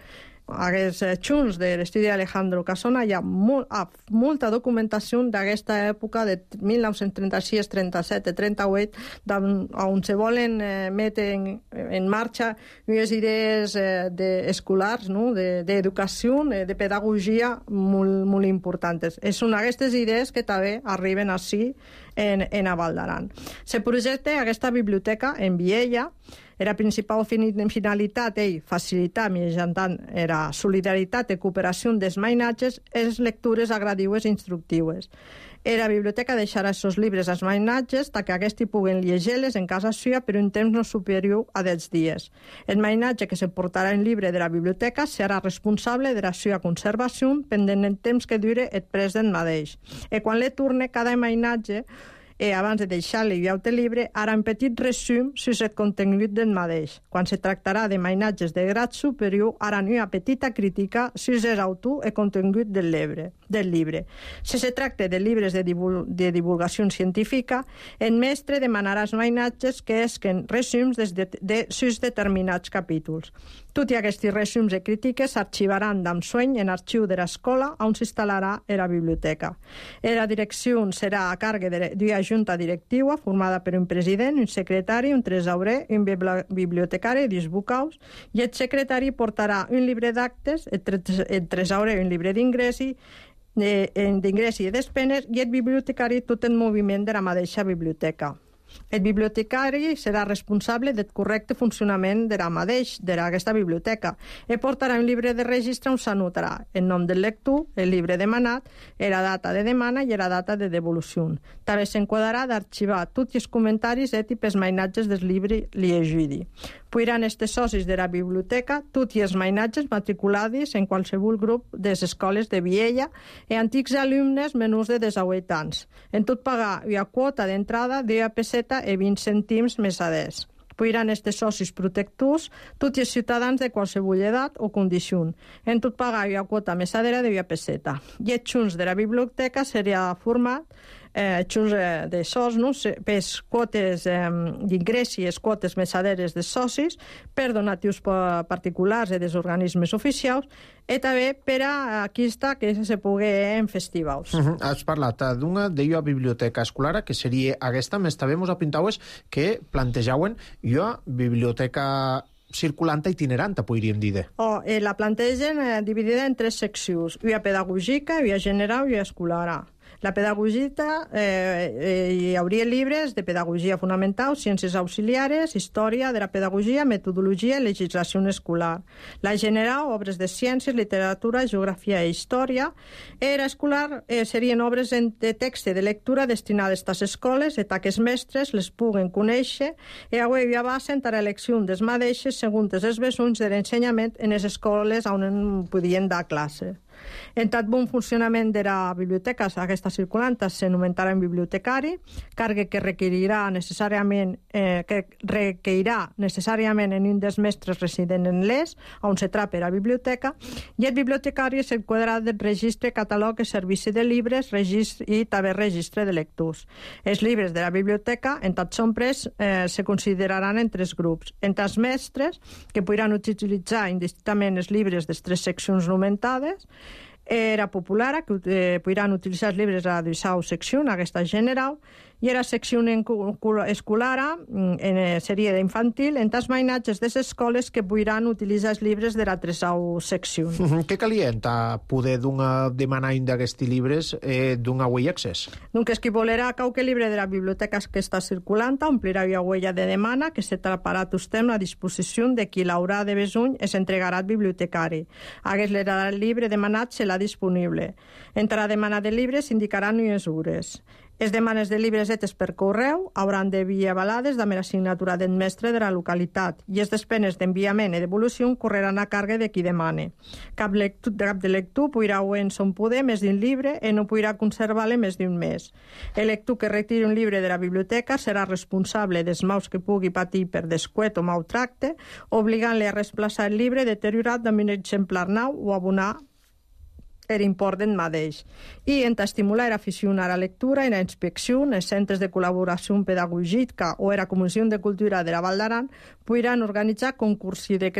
aquests xunts de l'estudi d'Alejandro Casona hi ha molt, molta documentació d'aquesta època de mil nou-cents trenta-sis, trenta-set i trenta-vuit, on se volen eh, metre en, en marxa unes idees eh, de escolars, no? d'educació, de, de pedagogia molt, molt importants. Són aquestes idees que també arriben així en, en a Val d'Aran. Se projecta aquesta biblioteca en Viella. Era principal finalitat ell facilitar mitjançant era solidaritat i cooperació dels mainatges les lectures agradiues i instructives. Era biblioteca deixarà aquests llibres als mainatges perquè aquests puguen llegir-les en casa seva per un temps no superior a deu dies. El mainatge que se portarà en llibre de la biblioteca serà responsable de la seva conservació pendent el temps que dure el pres del mateix. I quan le torne cada mainatge i abans de deixar-li veure el llibre, ara un petit resum sobre el contingut del mateix. Quan se tractarà de mainatges de grad superior, ara una petita crítica sobre l'autor i contingut del llibre. Del llibre. Si se tracta de llibres de, divul de divulgació científica, el mestre demanarà als mainatges que esquen resums de, de, de sus determinats capítols. Tots aquests resums i crítiques s'arxivaran d'ensueny en arxiu de l'escola on s'instal·larà la biblioteca. La direcció serà a càrrec d'una junta directiva formada per un president, un secretari, un tresorer, un bibliotecari i dos vocals, i el secretari portarà un llibre d'actes, el tresorer un llibre d'ingressi, d'ingressi i despenes, i el bibliotecari tot el moviment de la mateixa biblioteca. El bibliotecari serà responsable del correcte funcionament de la mateix, d'aquesta biblioteca, i portarà un llibre de registre on s'anotarà el nom del lector, el llibre demanat, la data de demana i la data de devolució. També s'enquadrarà d'arxivar tots els comentaris i els mainatges del llibre llegit. Podran estar socis de la biblioteca tots els mainatges matriculats en qualsevol grup de les escoles de Viella i antics alumnes menors de disset anys. En tot pagar una quota d'entrada d'una peseta i vint cèntims més adés. Podran estar socis protectors tots els ciutadans de qualsevol edat o condició. En tot pagar una quota mesadera d'una peseta. I els xunts de la biblioteca seria format eh, xunts eh, de sos, no? Per quotes eh, d'ingrés i les quotes mesaderes de socis, per donatius particulars i dels organismes oficials, i també per a aquesta que se pugui en festivals. Uh -huh. Has parlat d'una d'una biblioteca escolar, que seria aquesta, més també mos apuntaues que plantejaven una biblioteca circulant itinerant, podríem dir. Oh, eh, la plantegen eh, dividida en tres seccions, una pedagògica, una general i una escolar. La pedagogia, eh, eh, hi hauria llibres de pedagogia fonamental, ciències auxiliares, història de la pedagogia, metodologia i legislació escolar. La general, obres de ciències, literatura, geografia i història. Era escolar eh, serien obres de text i de lectura destinades a les escoles i que els mestres les puguen conèixer i avui abasen a l'elecció dels mateixes segons els besons de l'ensenyament en les escoles on podien dar classe. En tot bon funcionament de la biblioteca, aquesta circulant s'anomenarà en bibliotecari, càrrec que requerirà necessàriament eh, que requerirà necessàriament en un dels mestres resident en l'Es, on se trapa la biblioteca, i el bibliotecari s'enquadrarà del registre, catalog i servici de llibres, registre i també registre de lectors. Els llibres de la biblioteca, en tot són pres, eh, se consideraran en tres grups. Entre els mestres, que podran utilitzar indistintament els llibres de les tres seccions nomentades, era popular, que eh, podran utilitzar els llibres a la dissau secció, aquesta general, i era secció escolar, en seria d'infantil, en tas mainatges de les escoles que podran utilitzar els llibres de la tresau secció. Uh -huh. Què calienta poder demanar un d'aquests llibres eh, d'un away access? Donc, és qui volerà qualque llibre de la biblioteca que està circulant, omplirà una huella de demana que se traparà tot temps a disposició de qui l'haurà de besony i s'entregarà al bibliotecari. Hagués l'era el llibre demanat serà disponible. Entre la demana de llibres s'indicaran unes hores. Les demanes de llibres etes per correu hauran de vir avalades amb la signatura del mestre de la localitat i les despenes d'enviament i devolució correran a càrrec de qui demane. Cap, lectu, cap de lector podrà o en son poder més d'un llibre i no podrà conservar-le més d'un mes. El lector que retiri un llibre de la biblioteca serà responsable dels mals que pugui patir per descuet o maltracte, obligant-le a reemplaçar el llibre deteriorat amb un exemplar nou o abonar era important mateix. I en estimular era aficionar a la lectura, en la inspecció, en els centres de col·laboració pedagògica o era Comissió de Cultura de la Val d'Aran, podran organitzar concursos de,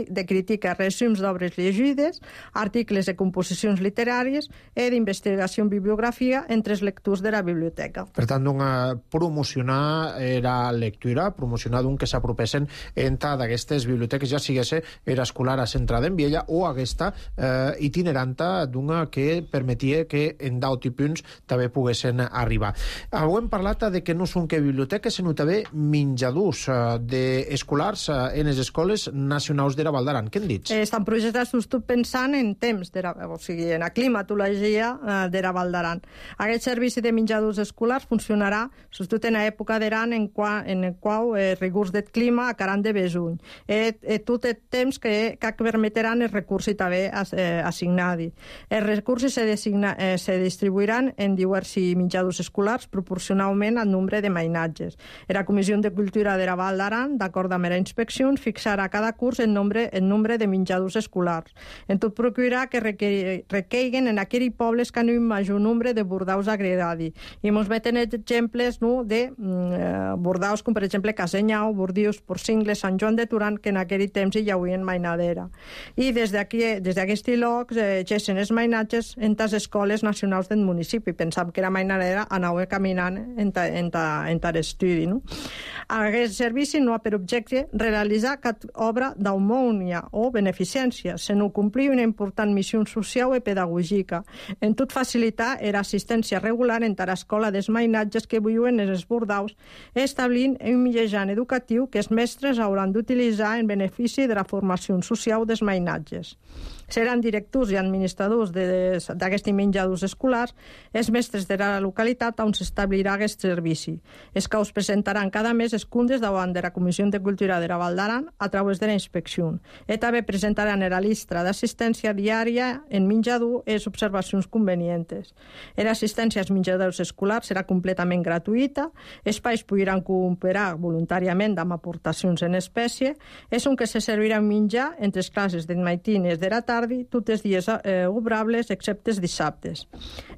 de crítica, resums d'obres llegides, articles de composicions literàries i d'investigació en bibliografia entre els lectors de la biblioteca. Per tant, una, promocionar era lectura, promocionar d'un que s'apropessin entre d'aquestes biblioteques, ja siguesse era escolar a centrada en Viella o aquesta eh, itineranta d'una que permetia que en deu punts també poguessin arribar. Avui hem parlat de que no són que biblioteques, sinó també menjadors eh, d'escolars eh, en les escoles nacionals de la Val d'Aran. Què en dits? Eh, estan projectats tot pensant en temps, de la, o sigui, en la climatologia eh, de la Val d'Aran. Aquest servici de menjadors escolars funcionarà, sobretot en l'època d'Aran, en, qua, en el qual eh, rigors del clima acaran de besuny. Eh, eh, tot el temps que, que permetran els recursos també eh, assignats. Els recursos se, designa, eh, se distribuiran en diversos menjadors escolars proporcionalment al nombre de mainatges. La Comissió de Cultura de la Val d'Aran, d'acord amb la inspecció, fixarà a cada curs el nombre, el nombre de menjadors escolars. En tot procurarà que requeiguen en aquells pobles que han un major nombre de bordaus agregats. I ens meten exemples no, de mm, bordaus com per exemple Casenyau, Bordius, Porcingles, Sant Joan de Turan, que en aquell temps hi havia mainadera. I des d'aquests llocs eh, gessen els mainatges en les escoles nacionals del municipi. Pensàvem que era mainadera, anava caminant en, ta, en, ta, en ta estudi. No? Aquest servici no ha per objecte realitzar cap obra d'aumònia o beneficència, sinó complir una important missió social i pedagògica. En tot facilitar l'assistència regular en l'escola dels mainatges que viuen en els bordaus, establint un mitjà educatiu que els mestres hauran d'utilitzar en benefici de la formació social dels mainatges. Seran directors i administradors d'aquests menjadors escolars els mestres de la localitat on s'establirà aquest servici. Els que us presentaran cada mes els comptes davant de la Comissió de Cultura de la Val d'Aran a través de la inspecció. I també presentaran la llista d'assistència diària en menjador i les observacions convenients. L'assistència als menjadors escolars serà completament gratuïta, els païs podran cooperar voluntàriament amb aportacions en espècie, és on que se servirà menjar entre les classes del matí i de la tarda tots els dies eh, obrables, excepte els dissabtes.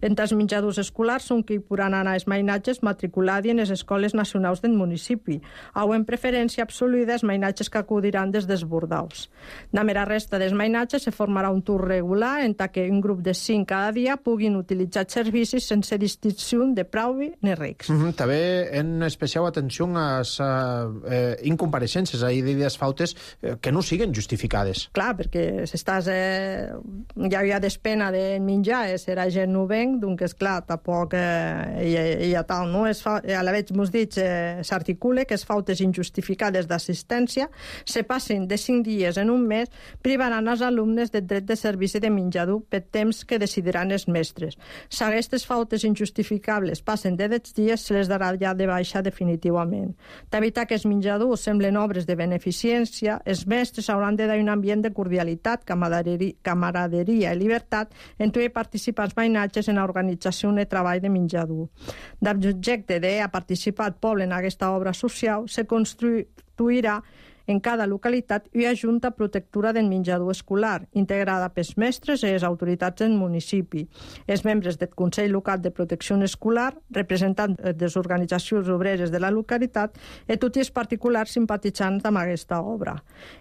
Entre els menjadors escolars són que hi podran anar els mainatges matriculats en les escoles nacionals del municipi, o en preferència absoluta els mainatges que acudiran des dels bordaus. Amb la resta dels mainatges se formarà un tour regular en què un grup de cinc cada dia puguin utilitzar servicis sense distinció de preu ni rics. Mm-hmm. També en especial atenció a les eh, incompareixences, a idees fautes eh, que no siguen justificades. Clar, perquè si estàs eh, hi havia despena de menjar, serà gent novent, doncs, esclar, tampoc eh, hi, hi ha tal, no? Es fa, a la veig mos dit, eh, s'articula que les fautes injustificades d'assistència se passen de cinc dies en un mes, privaran els alumnes del dret de servici de menjador per temps que decidiran els mestres. Si aquestes fautes injustificables passen de deu dies, se les darà ja de baixa definitivament. D'evitar que els menjadors semblen obres de beneficència, els mestres hauran de dar un ambient de cordialitat, camaraderia camaraderia i llibertat entre els participants mainatges en l'organització de treball de menjador. D'objecte de participar el poble en aquesta obra social se construirà en cada localitat una junta protectora del menjador escolar, integrada pels mestres i les autoritats del municipi, els membres del Consell Local de Protecció Escolar, representants de les organitzacions obreres de la localitat i tots els particulars simpatitzants amb aquesta obra.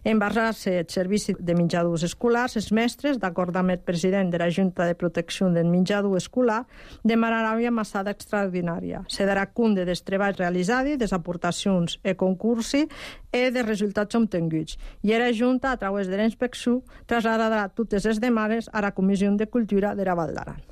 En basar-se el servici de menjadors escolars, els mestres, d'acord amb el president de la Junta de Protecció del Menjador Escolar, demanaran una massada extraordinària. Se darà compte dels treballs realitzats, des aportacions i concursos i de resultats obtinguts. I la Junta, a través de la inspecció, traslladarà totes les demandes a la Comissió de Cultura de la Val d'Aran.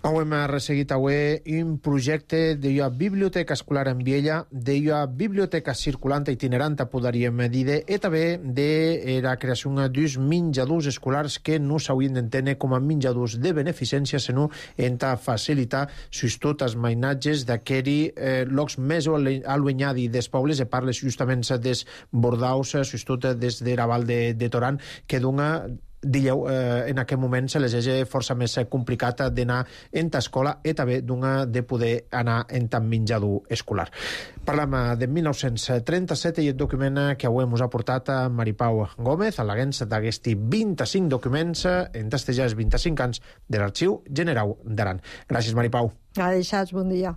Hem resseguit avui un projecte d'una biblioteca escolar en Viella, d'una biblioteca circulant itinerant, podríem dir, i també de la creació d'uns menjadors escolars que no s'haurien d'entendre com a menjadors de beneficència, sinó en facilitar sobretot els mainatges d'aquells eh, llocs més allunyats dels pobles, i parles justament dels bordaus, sobretot des de la Val de, de Toran, que dona Dilleu, eh, en aquest moment se les és força més complicat d'anar en ta escola i també d'una de poder anar en tan menjador escolar. Parlam de mil nou-cents trenta-set i el document que avui ens ha portat a Maripau Gómez, a l'aguens d'aquests vint-i-cinc documents en testejats vint-i-cinc anys de l'Arxiu Generau d'Aran. Gràcies, Maripau. A deixats, bon dia.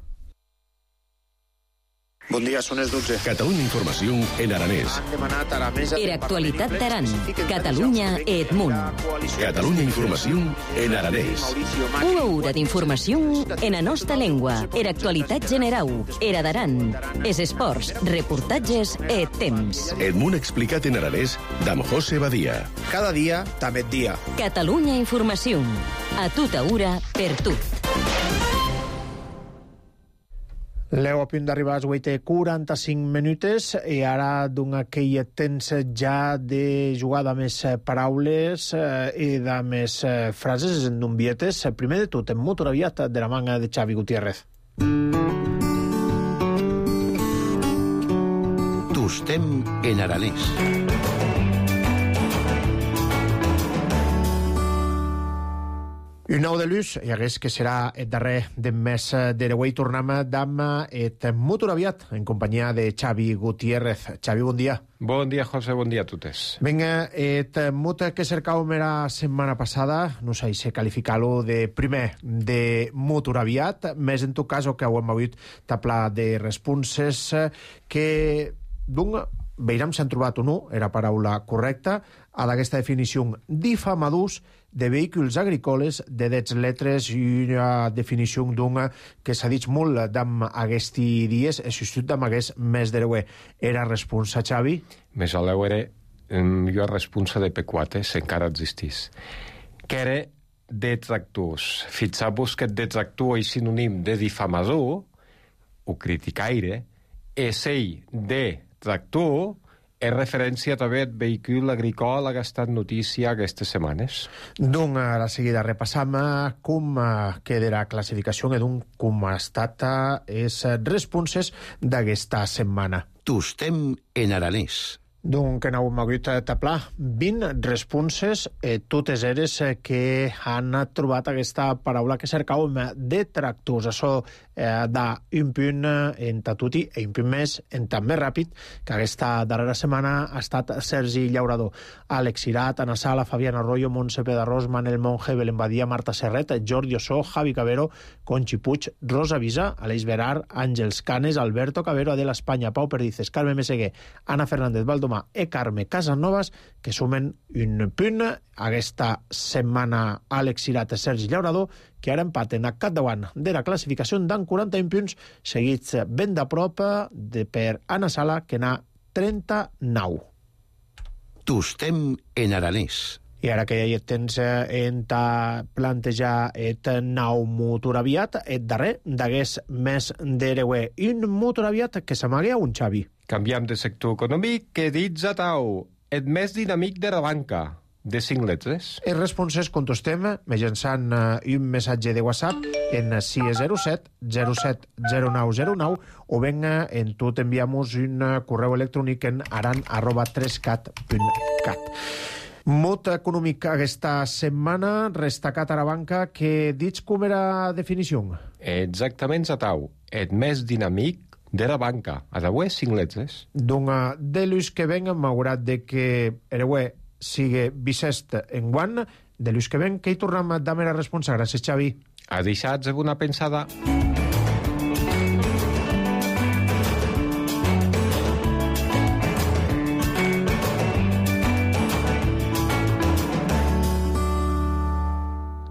Bon dia, són les dotze. Catalunya Informació en aranès. Han demanat a la mesa... Era actualitat d'Aran. Catalunya et munt. Catalunya Informació en aranès. Una hora d'informació en la nostra llengua. Era actualitat generau. Era d'Aran. Es esports, reportatges e temps. El món explicat en aranès d'Am José Badia. Cada dia, també et dia. Catalunya Informació. A tota hora, per tu. L'heu a punt d'arribar a les vuit i quaranta-cinc minutes i ara d'un aquell temps ja de jugar de més paraules eh, i de més eh, frases en d'umbietes. Primer de tot, en motor aviat de la manga de Xavi Gutiérrez. Tostem en aranès. Un nou de luz, i hagués que serà el darrer del mes d'Ereuei. Tornem d'am et motor aviat en companyia de Xavi Gutiérrez. Xavi, bon dia. Bon dia, José, bon dia a totes. Vinga, et mot que cercàvem la setmana passada, no sé si qualificar-lo de primer de motor aviat, més en tot cas que ho hem hagut taplar de responses que d'un veurem si han trobat o no, era paraula correcta, a d'aquesta definició difamadors de vehicles agrícoles de dez letres i una definició d'una que s'ha dit molt d'am aquests dies, el substitut d'am aquest mes d'Ereuer. Era responsa, Xavi? Més a l'Euere, jo responsa de P quatre, si encara existís. Que era detractors. Fixar-vos que detractor és sinònim de difamador, o criticaire, és ell de tractor, és referència també al vehicle agricol que ha estat notícia aquestes setmanes. Doncs a la seguida repassam com queda la classificació i com ha estat les responses d'aquesta setmana. Tostem en aranès. Doncs que n'hem hagut a taplar vint responses, eh, totes eres eh, que han trobat aquesta paraula que cercàvem de tractors. Això eh, d'un punt en tatuti i un punt més en tan més ràpid que aquesta darrera setmana ha estat Sergi Llaurador, Àlex Irat, Ana Sala, Fabián Arroyo, Montse Pedarrós, Manel Monge, Belén Badia, Marta Serret, Jordi Ossó, Javi Cabero, Conchi Puig, Rosa Visa, Aleix Berar, Àngels Canes, Alberto Cabero, Adela Espanya, Pau Perdices, Carme Meseguer, Ana Fernández Valdomà e Carme Casanovas, que sumen un punt aquesta setmana. Àlex Irat i Sergi Llaurador, que ara empaten a capdavant de la classificació d'an quaranta-un punts, seguits ben de prop de per Ana Sala, que n'ha trenta-nou. Tostem en aranès. I ara que ja tens en ta plantejar et nou motor aviat, et darrer d'aguest mes d'Ereuer. Un motor aviat que s'amaga un Xavi. Canviem de sector econòmic, que dits a tau, el més dinàmic de la banca, de cinc letres. Els responses contestem mitjançant un missatge de WhatsApp en sis zero set zero set zero nou zero nou o ben en tot enviamos un correu electrònic en aran arroba tres cat punt cat. Mot econòmic aquesta setmana, destacat a la banca, que dits com era definició? Exactament a tau, el més dinàmic de la banca, a d'avui cinc letres. Doncs de l'ús que ven, malgrat de que Ereuer sigui bisest en guant, de l'ús que ven, que hi tornem a dar la responsa. Gràcies, Xavi. A deixats una pensada.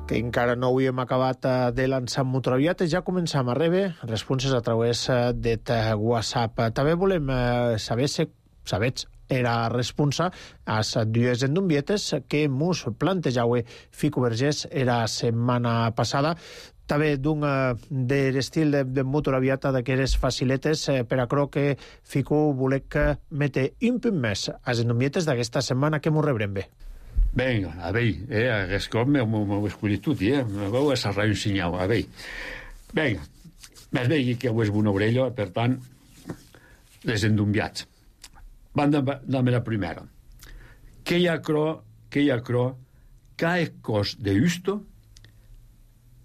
Que encara no ho hem acabat de lançar motor aviat, ja començam a rebre responses a través de WhatsApp. També volem saber si sabets era responsa a les dues endumbietes que mos plantejau Fico Vergés era setmana passada. També d'un de l'estil de, de motor aviat d'aquestes faciletes, per a cro que Fico volec mete un punt més a les endumbietes d'aquesta setmana que mos rebrem bé. Vinga, a veure, eh, aquest cop m'ho he escollit tot, eh? M'ho he serrat un senyal, a veure. Vinga, més bé que ho és una orella, per tant, les endumbiats. Van de, de la primera. Que hi ha cro, que hi ha cro, ca e cos de usto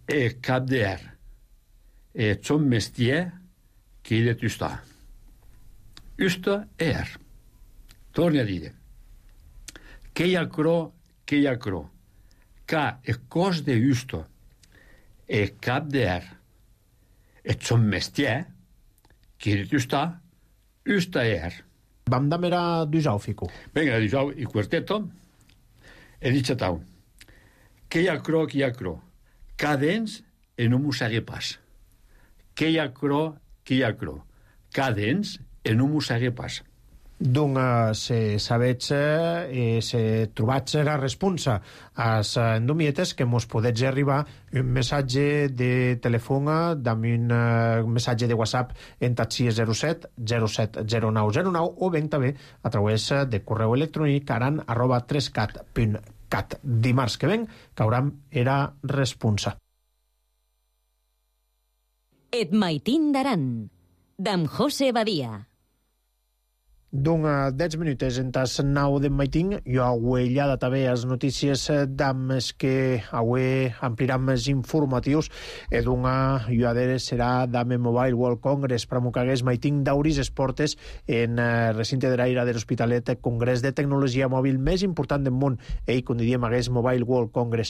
e cap de er. E son mestier qui de tusta. Usto e er. Torni a dire. Che hi ha cro, che hi ha cro. Ca e cos de usto e cap de er. E son mestier qui de tusta, usta e er. Vam damera d'usau, Fico. Venga, d'usau i quarteto. E dice tau. Que hi ha cro, que hi ha cro. Cadens e no m'ho sague pas. Que hi ha cro, que hi ha cro. Cadens e no m'ho sague pas. Doncs se sabets e se trobatz la responsa as endomietes que mos podets arribar un missatge de telèfon damb un missatge de WhatsApp en taxi zero set zero set zero nou zero nou o ben també a través de correu electrònic aran arroba trescat punt cat. Dimarts que ven cauram era responsa. Et maitin d'Aran, d'en José Badia. Doncs dez minutes en tas nau de maitin, jo auellada també as notícies d'ams que avui ampliaran més informatius e d'una juadere serà d'ame Mobile World Congress pramucagués maitin d'auris esportes en recinte de l'aire de l'Hospitalet Congrés de Tecnologia Mòbil més important del món, ell com diríem hagués Mobile World Congress.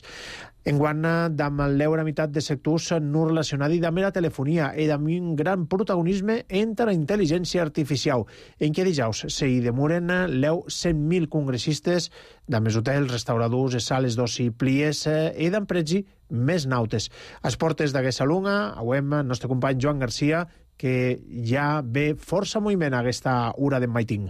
Enguant d'am l'eura meitat de sectors no relacionats amb la telefonia i d'am un gran protagonisme entre la intel·ligència artificial. En què dijous se hi demoren l'eu cent mil congressistes d'amés hotels, restauradors, sales d'oci, plies i d'empresi més nautes. A portes d'aquesta lunga, avem el nostre company Joan Garcia, que ja ve força moviment a aquesta hora de maiting.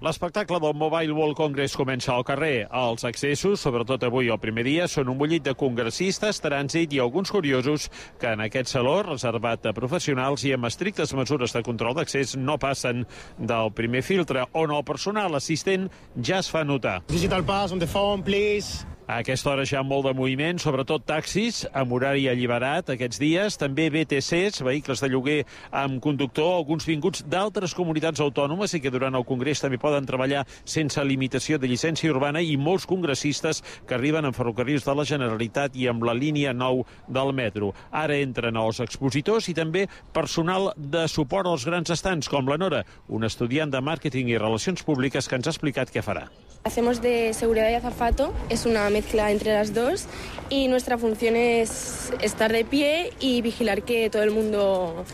L'espectacle del Mobile World Congress comença al carrer. Els accessos, sobretot avui el primer dia, són un bullit de congressistes, trànsit i alguns curiosos que en aquest saló, reservat a professionals i amb estrictes mesures de control d'accés, no passen del primer filtre, on el personal assistent ja es fa notar. Digital pass on the phone, please. A aquesta hora ja molt de moviment, sobretot taxis, amb horari alliberat aquests dies, també B T Cs, vehicles de lloguer amb conductor, alguns vinguts d'altres comunitats autònomes i que durant el Congrés també poden treballar sense limitació de llicència urbana i molts congressistes que arriben en ferrocarrils de la Generalitat i amb la línia nou del metro. Ara entren els expositors i també personal de suport als grans estants, com la Nora, un estudiant de màrqueting i relacions públiques que ens ha explicat què farà. Hacemos de seguridad y azafato, es una mezcla entre las dos y nuestra función es estar de pie y vigilar que todo el mundo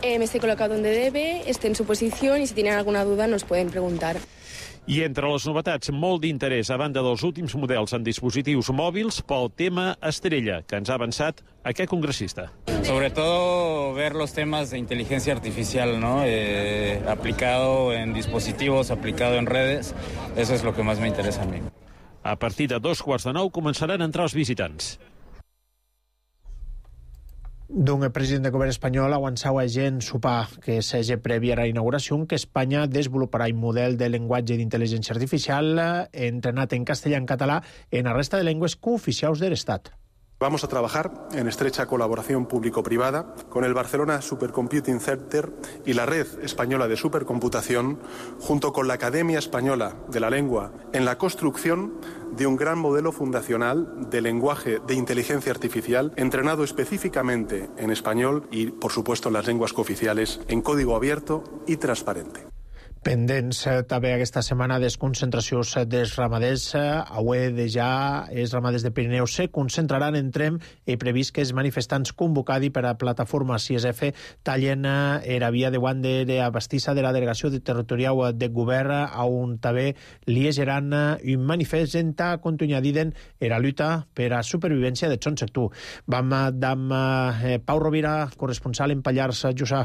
eh, esté colocado donde debe, esté en su posición y si tienen alguna duda nos pueden preguntar. I entre les novetats, molt d'interès a banda dels últims models en dispositius mòbils pel tema estrella, que ens ha avançat aquest congressista. Sobre todo ver los temas de inteligencia artificial, ¿no? Eh, aplicado en dispositivos, aplicado en redes, eso es lo que más me interesa a mí. A partir de dos quarts de nou començaran a entrar els visitants. D'un el president del govern espanyol avançava gent sopar que s'hagi prèvia a la inauguració que Espanya desenvoluparà un model de llenguatge d'intel·ligència artificial entrenat en castellà i en català en la resta de llengües cooficials de l'Estat. Vamos a trabajar en estrecha colaboración público-privada con el Barcelona Supercomputing Center y la Red Española de Supercomputación, junto con la Academia Española de la Lengua, en la construcción de un gran modelo fundacional de lenguaje de inteligencia artificial entrenado específicamente en español y, por supuesto, en las lenguas cooficiales, en código abierto y transparente. Pendents també aquesta setmana des concentracions dels ramaders. Avui de ja els ramaders de Pirineu se concentraran en Trem i previst que els manifestants convocats per a plataforma C S F tallen la via de guant de abastissa de la delegació territorial de govern on també liegeran un manifest en ta continuadiden la lluita per a supervivència de son sector. Vam amb Pau Rovira, corresponsal en Pallars Jussà.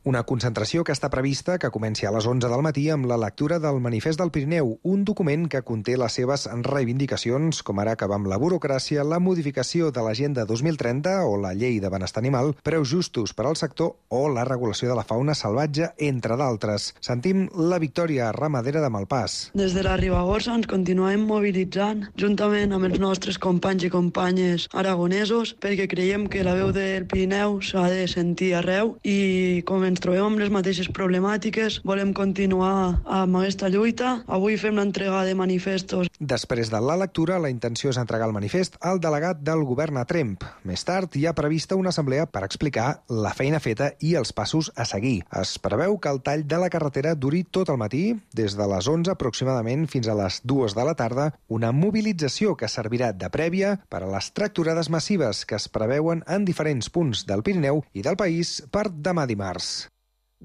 Una concentració que està prevista que comenci a les onze del matí amb la lectura del Manifest del Pirineu, un document que conté les seves reivindicacions, com ara acabar amb la burocràcia, la modificació de l'Agenda dos mil trenta o la Llei de Benestar Animal, preus justos per al sector o la regulació de la fauna salvatge, entre d'altres. Sentim la Victòria, ramadera de Malpàs. Des de la Ribagorça ens continuem mobilitzant, juntament amb els nostres companys i companyes aragonesos, perquè creiem que la veu del Pirineu s'ha de sentir arreu i començar ens trobem amb les mateixes problemàtiques, volem continuar amb aquesta lluita. Avui fem l'entrega de manifestos. Després de la lectura, la intenció és entregar el manifest al delegat del govern a Tremp. Més tard, hi ha prevista una assemblea per explicar la feina feta i els passos a seguir. Es preveu que el tall de la carretera duri tot el matí, des de les onze aproximadament fins a les dues de la tarda, una mobilització que servirà de prèvia per a les tractorades massives que es preveuen en diferents punts del Pirineu i del país per demà dimarts.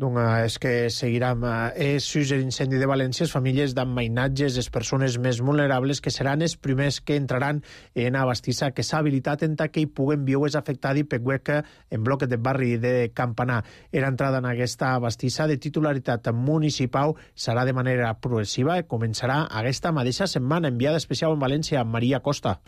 Doncs és que seguirem. És sus l'incendi de València, les famílies d'emmainatges, les persones més vulnerables, que seran els primers que entraran en a bastissa que s'ha habilitat en que hi puguen viure afectats per hueca en bloc de barri de Campanar. Era entrada en aquesta bastissa de titularitat municipal serà de manera progressiva i començarà aquesta mateixa setmana. Enviada especial en València, Maria Costa.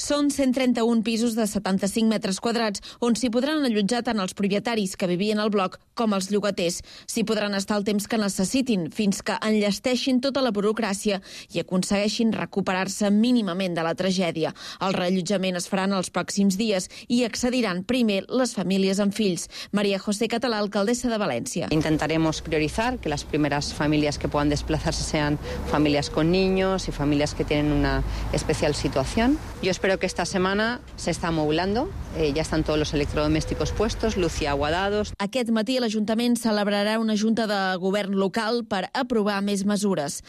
Són cent trenta-un pisos de setanta-cinc metres quadrats, on s'hi podran allotjar tant els propietaris que vivien al bloc com els llogaters. S'hi podran estar el temps que necessitin, fins que enllesteixin tota la burocràcia i aconsegueixin recuperar-se mínimament de la tragèdia. El reallotjament es farà en els pròxims dies i accediran primer les famílies amb fills. María José Català, alcaldessa de València. Intentaremos priorizar que las primeras familias que puedan desplazarse sean familias con niños y familias que tienen una especial situación. Yo espero que esta semana se está amoblando, eh, ya están todos los electrodomésticos puestos, luz y agua dados. Aquest matí l'Ajuntament celebrarà una junta de govern local per aprovar més mesures.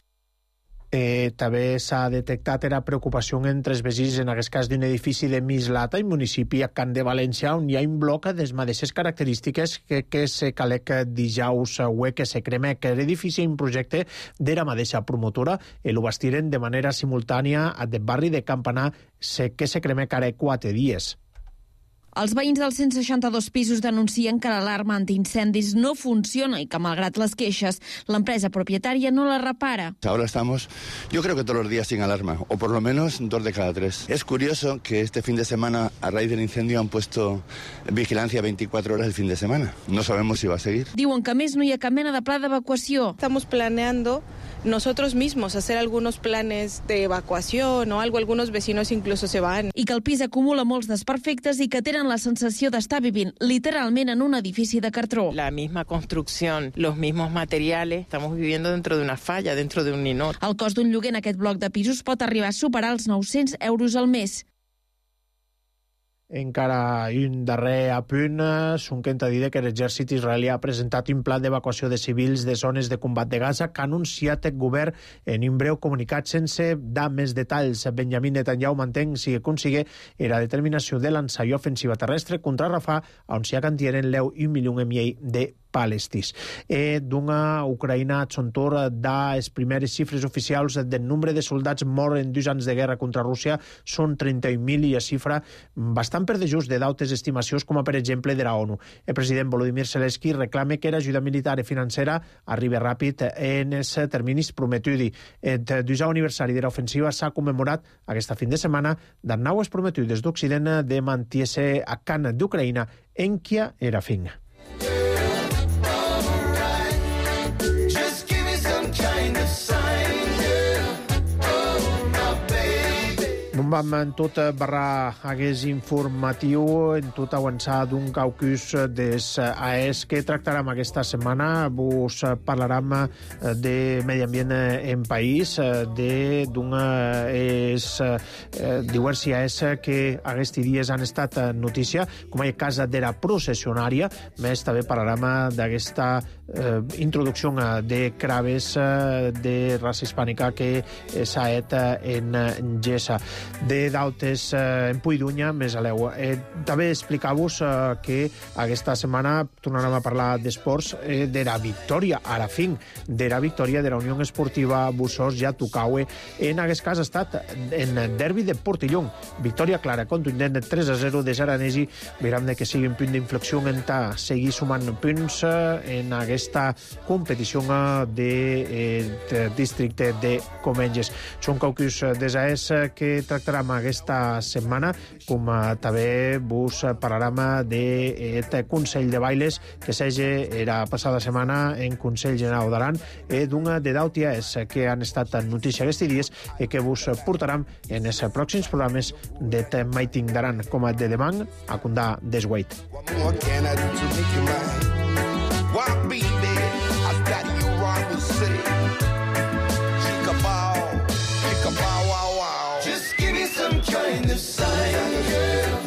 Eh, també s'ha detectat la preocupació entre els veïns en aquest cas d'un edifici de Mislata, i municipi a Can de València, on hi ha un bloc de les mateixes característiques que, que se calec dijous ué que se crema que l'edifici un projecte de la mateixa promotora i el bastiren de manera simultània del barri de Campanar que se crema cada quatre dies. Els veïns dels cent seixanta-dos pisos denuncien que l'alarma antiincendis no funciona i que, malgrat les queixes, l'empresa propietària no la repara. Ahora estamos, yo creo que todos los días sin alarma, o por lo menos dos de cada tres. Es curioso que este fin de semana, a raíz del incendio, han puesto vigilancia veinticuatro horas el fin de semana. No sabemos si va a seguir. Diuen que, a més, no hi ha cap mena de pla d'evacuació. Estamos planeando nosotros mismos hacer algunos planes de evacuación o algo, algunos vecinos incluso se van. I que el pis acumula molts desperfectes i que tenen la sensació d'estar vivint literalment en un edifici de cartró. La misma construcción, los mismos materiales, estamos viviendo dentro de una falla, dentro de un ninot. El cost d'un lloguer en aquest bloc de pisos pot arribar a superar els nou-cents euros al mes. Encara un darrer apunt, Sunken ha dit que l'exèrcit israelià ha presentat un pla d'evacuació de civils de zones de combat de Gaza que ha anunciat el govern en un breu comunicat sense dar més detalls. Benjamin Netanyahu mantén si consigue la determinació de l'ensai ofensiva terrestre contra Rafah, on s'hi ha cantieren l'eu un milió i mig de palestins. E d'una Ucraïna xontor da les primeres xifres oficials del nombre de soldats morts en dos anys de guerra contra Rússia són trenta-un mil i a xifra bastant per dejust de d'altres estimacions, com per exemple de la ONU. El president Volodymyr Zelensky reclama que l'ajuda militar i financera arribi ràpid en els terminis prometuts. El desè aniversari de l'ofensiva s'ha commemorat aquesta fin de setmana de naues prometudes d'Occident de mantiese a Khan d'Ucraïna en Kia era fin. Vam en tot barrar hagués informatiu, en tot avançar d'un caucus des A E S que tractarem aquesta setmana. Vos parlarem de medi ambient en país, de d'una és diversi A E S que aquests dies han estat notícia, com el cas de la processionària. Més també parlarem d'aquesta eh, introducció de craves de raça hispànica que s'ha fet en Gessa. De d'altes eh, en Puidunya, més a l'eu. Eh, també explicar-vos eh, que aquesta setmana tornarem a parlar d'esports, eh, de la victòria, a la fin, de la victòria de la Unió Esportiva Bussos ja Tucaue. En aquest cas ha estat en derbi de Portillon. Victòria clara, contundent, tres a zero de Zaranesi. Veurem que sigui un punt d'inflexió en ta seguir sumant punts en aquesta competició de, eh, de districte de Comenges. Són caucus des A E S que tractarem aquesta setmana, com també vos parlarem d'aquest Consell de Bailes que s'hagi la passada setmana en Consell General d'Aran, d'una de d'A E S que han estat notícia aquests dies i que vos portarem en els pròxims programes de Maiting d'Aran, com de demà a Condà d'Esguait. Why, baby, as daddy you run will say. Chica bow, chica bow, wow, wow. Just give me some kind of sign, girl.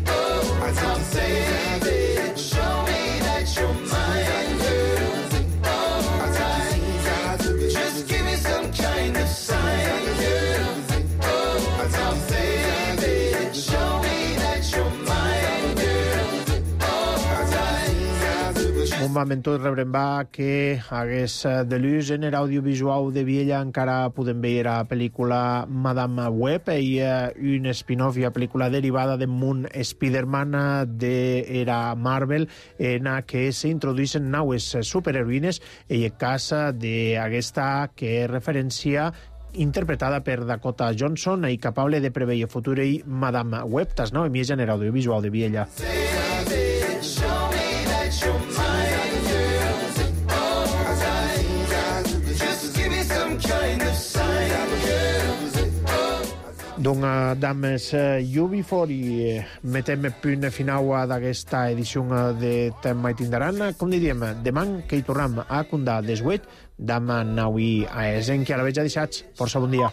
Oh, as I'm saying, baby, show me that you're mine, girl. Oh, as I just give me some kind of sign, girl. Oh, as I'm saying, baby, show me that you're mine, girl. Oh, as I Un moment tot rebrem va que hagués de l'ús en l'audiovisual de Viella encara podem veure la pel·lícula Madame Web i un spin-off i la pel·lícula derivada de Moon Spider-Man de era Marvel en què s'introduïssin naues superheroïnes i el cas d'aquesta que referencia interpretada per Dakota Johnson i capable de preveure el futur i Madame Web, tas nou emies en l'audiovisual de Viella. Donc, dames, U B quatre i metem punt final d'aquesta edició de Tema i Tindaran. Com diríem, demà que hi tornem a Condà desguet, demà nou i a Esen, que ara veig a deixats. Força bon dia.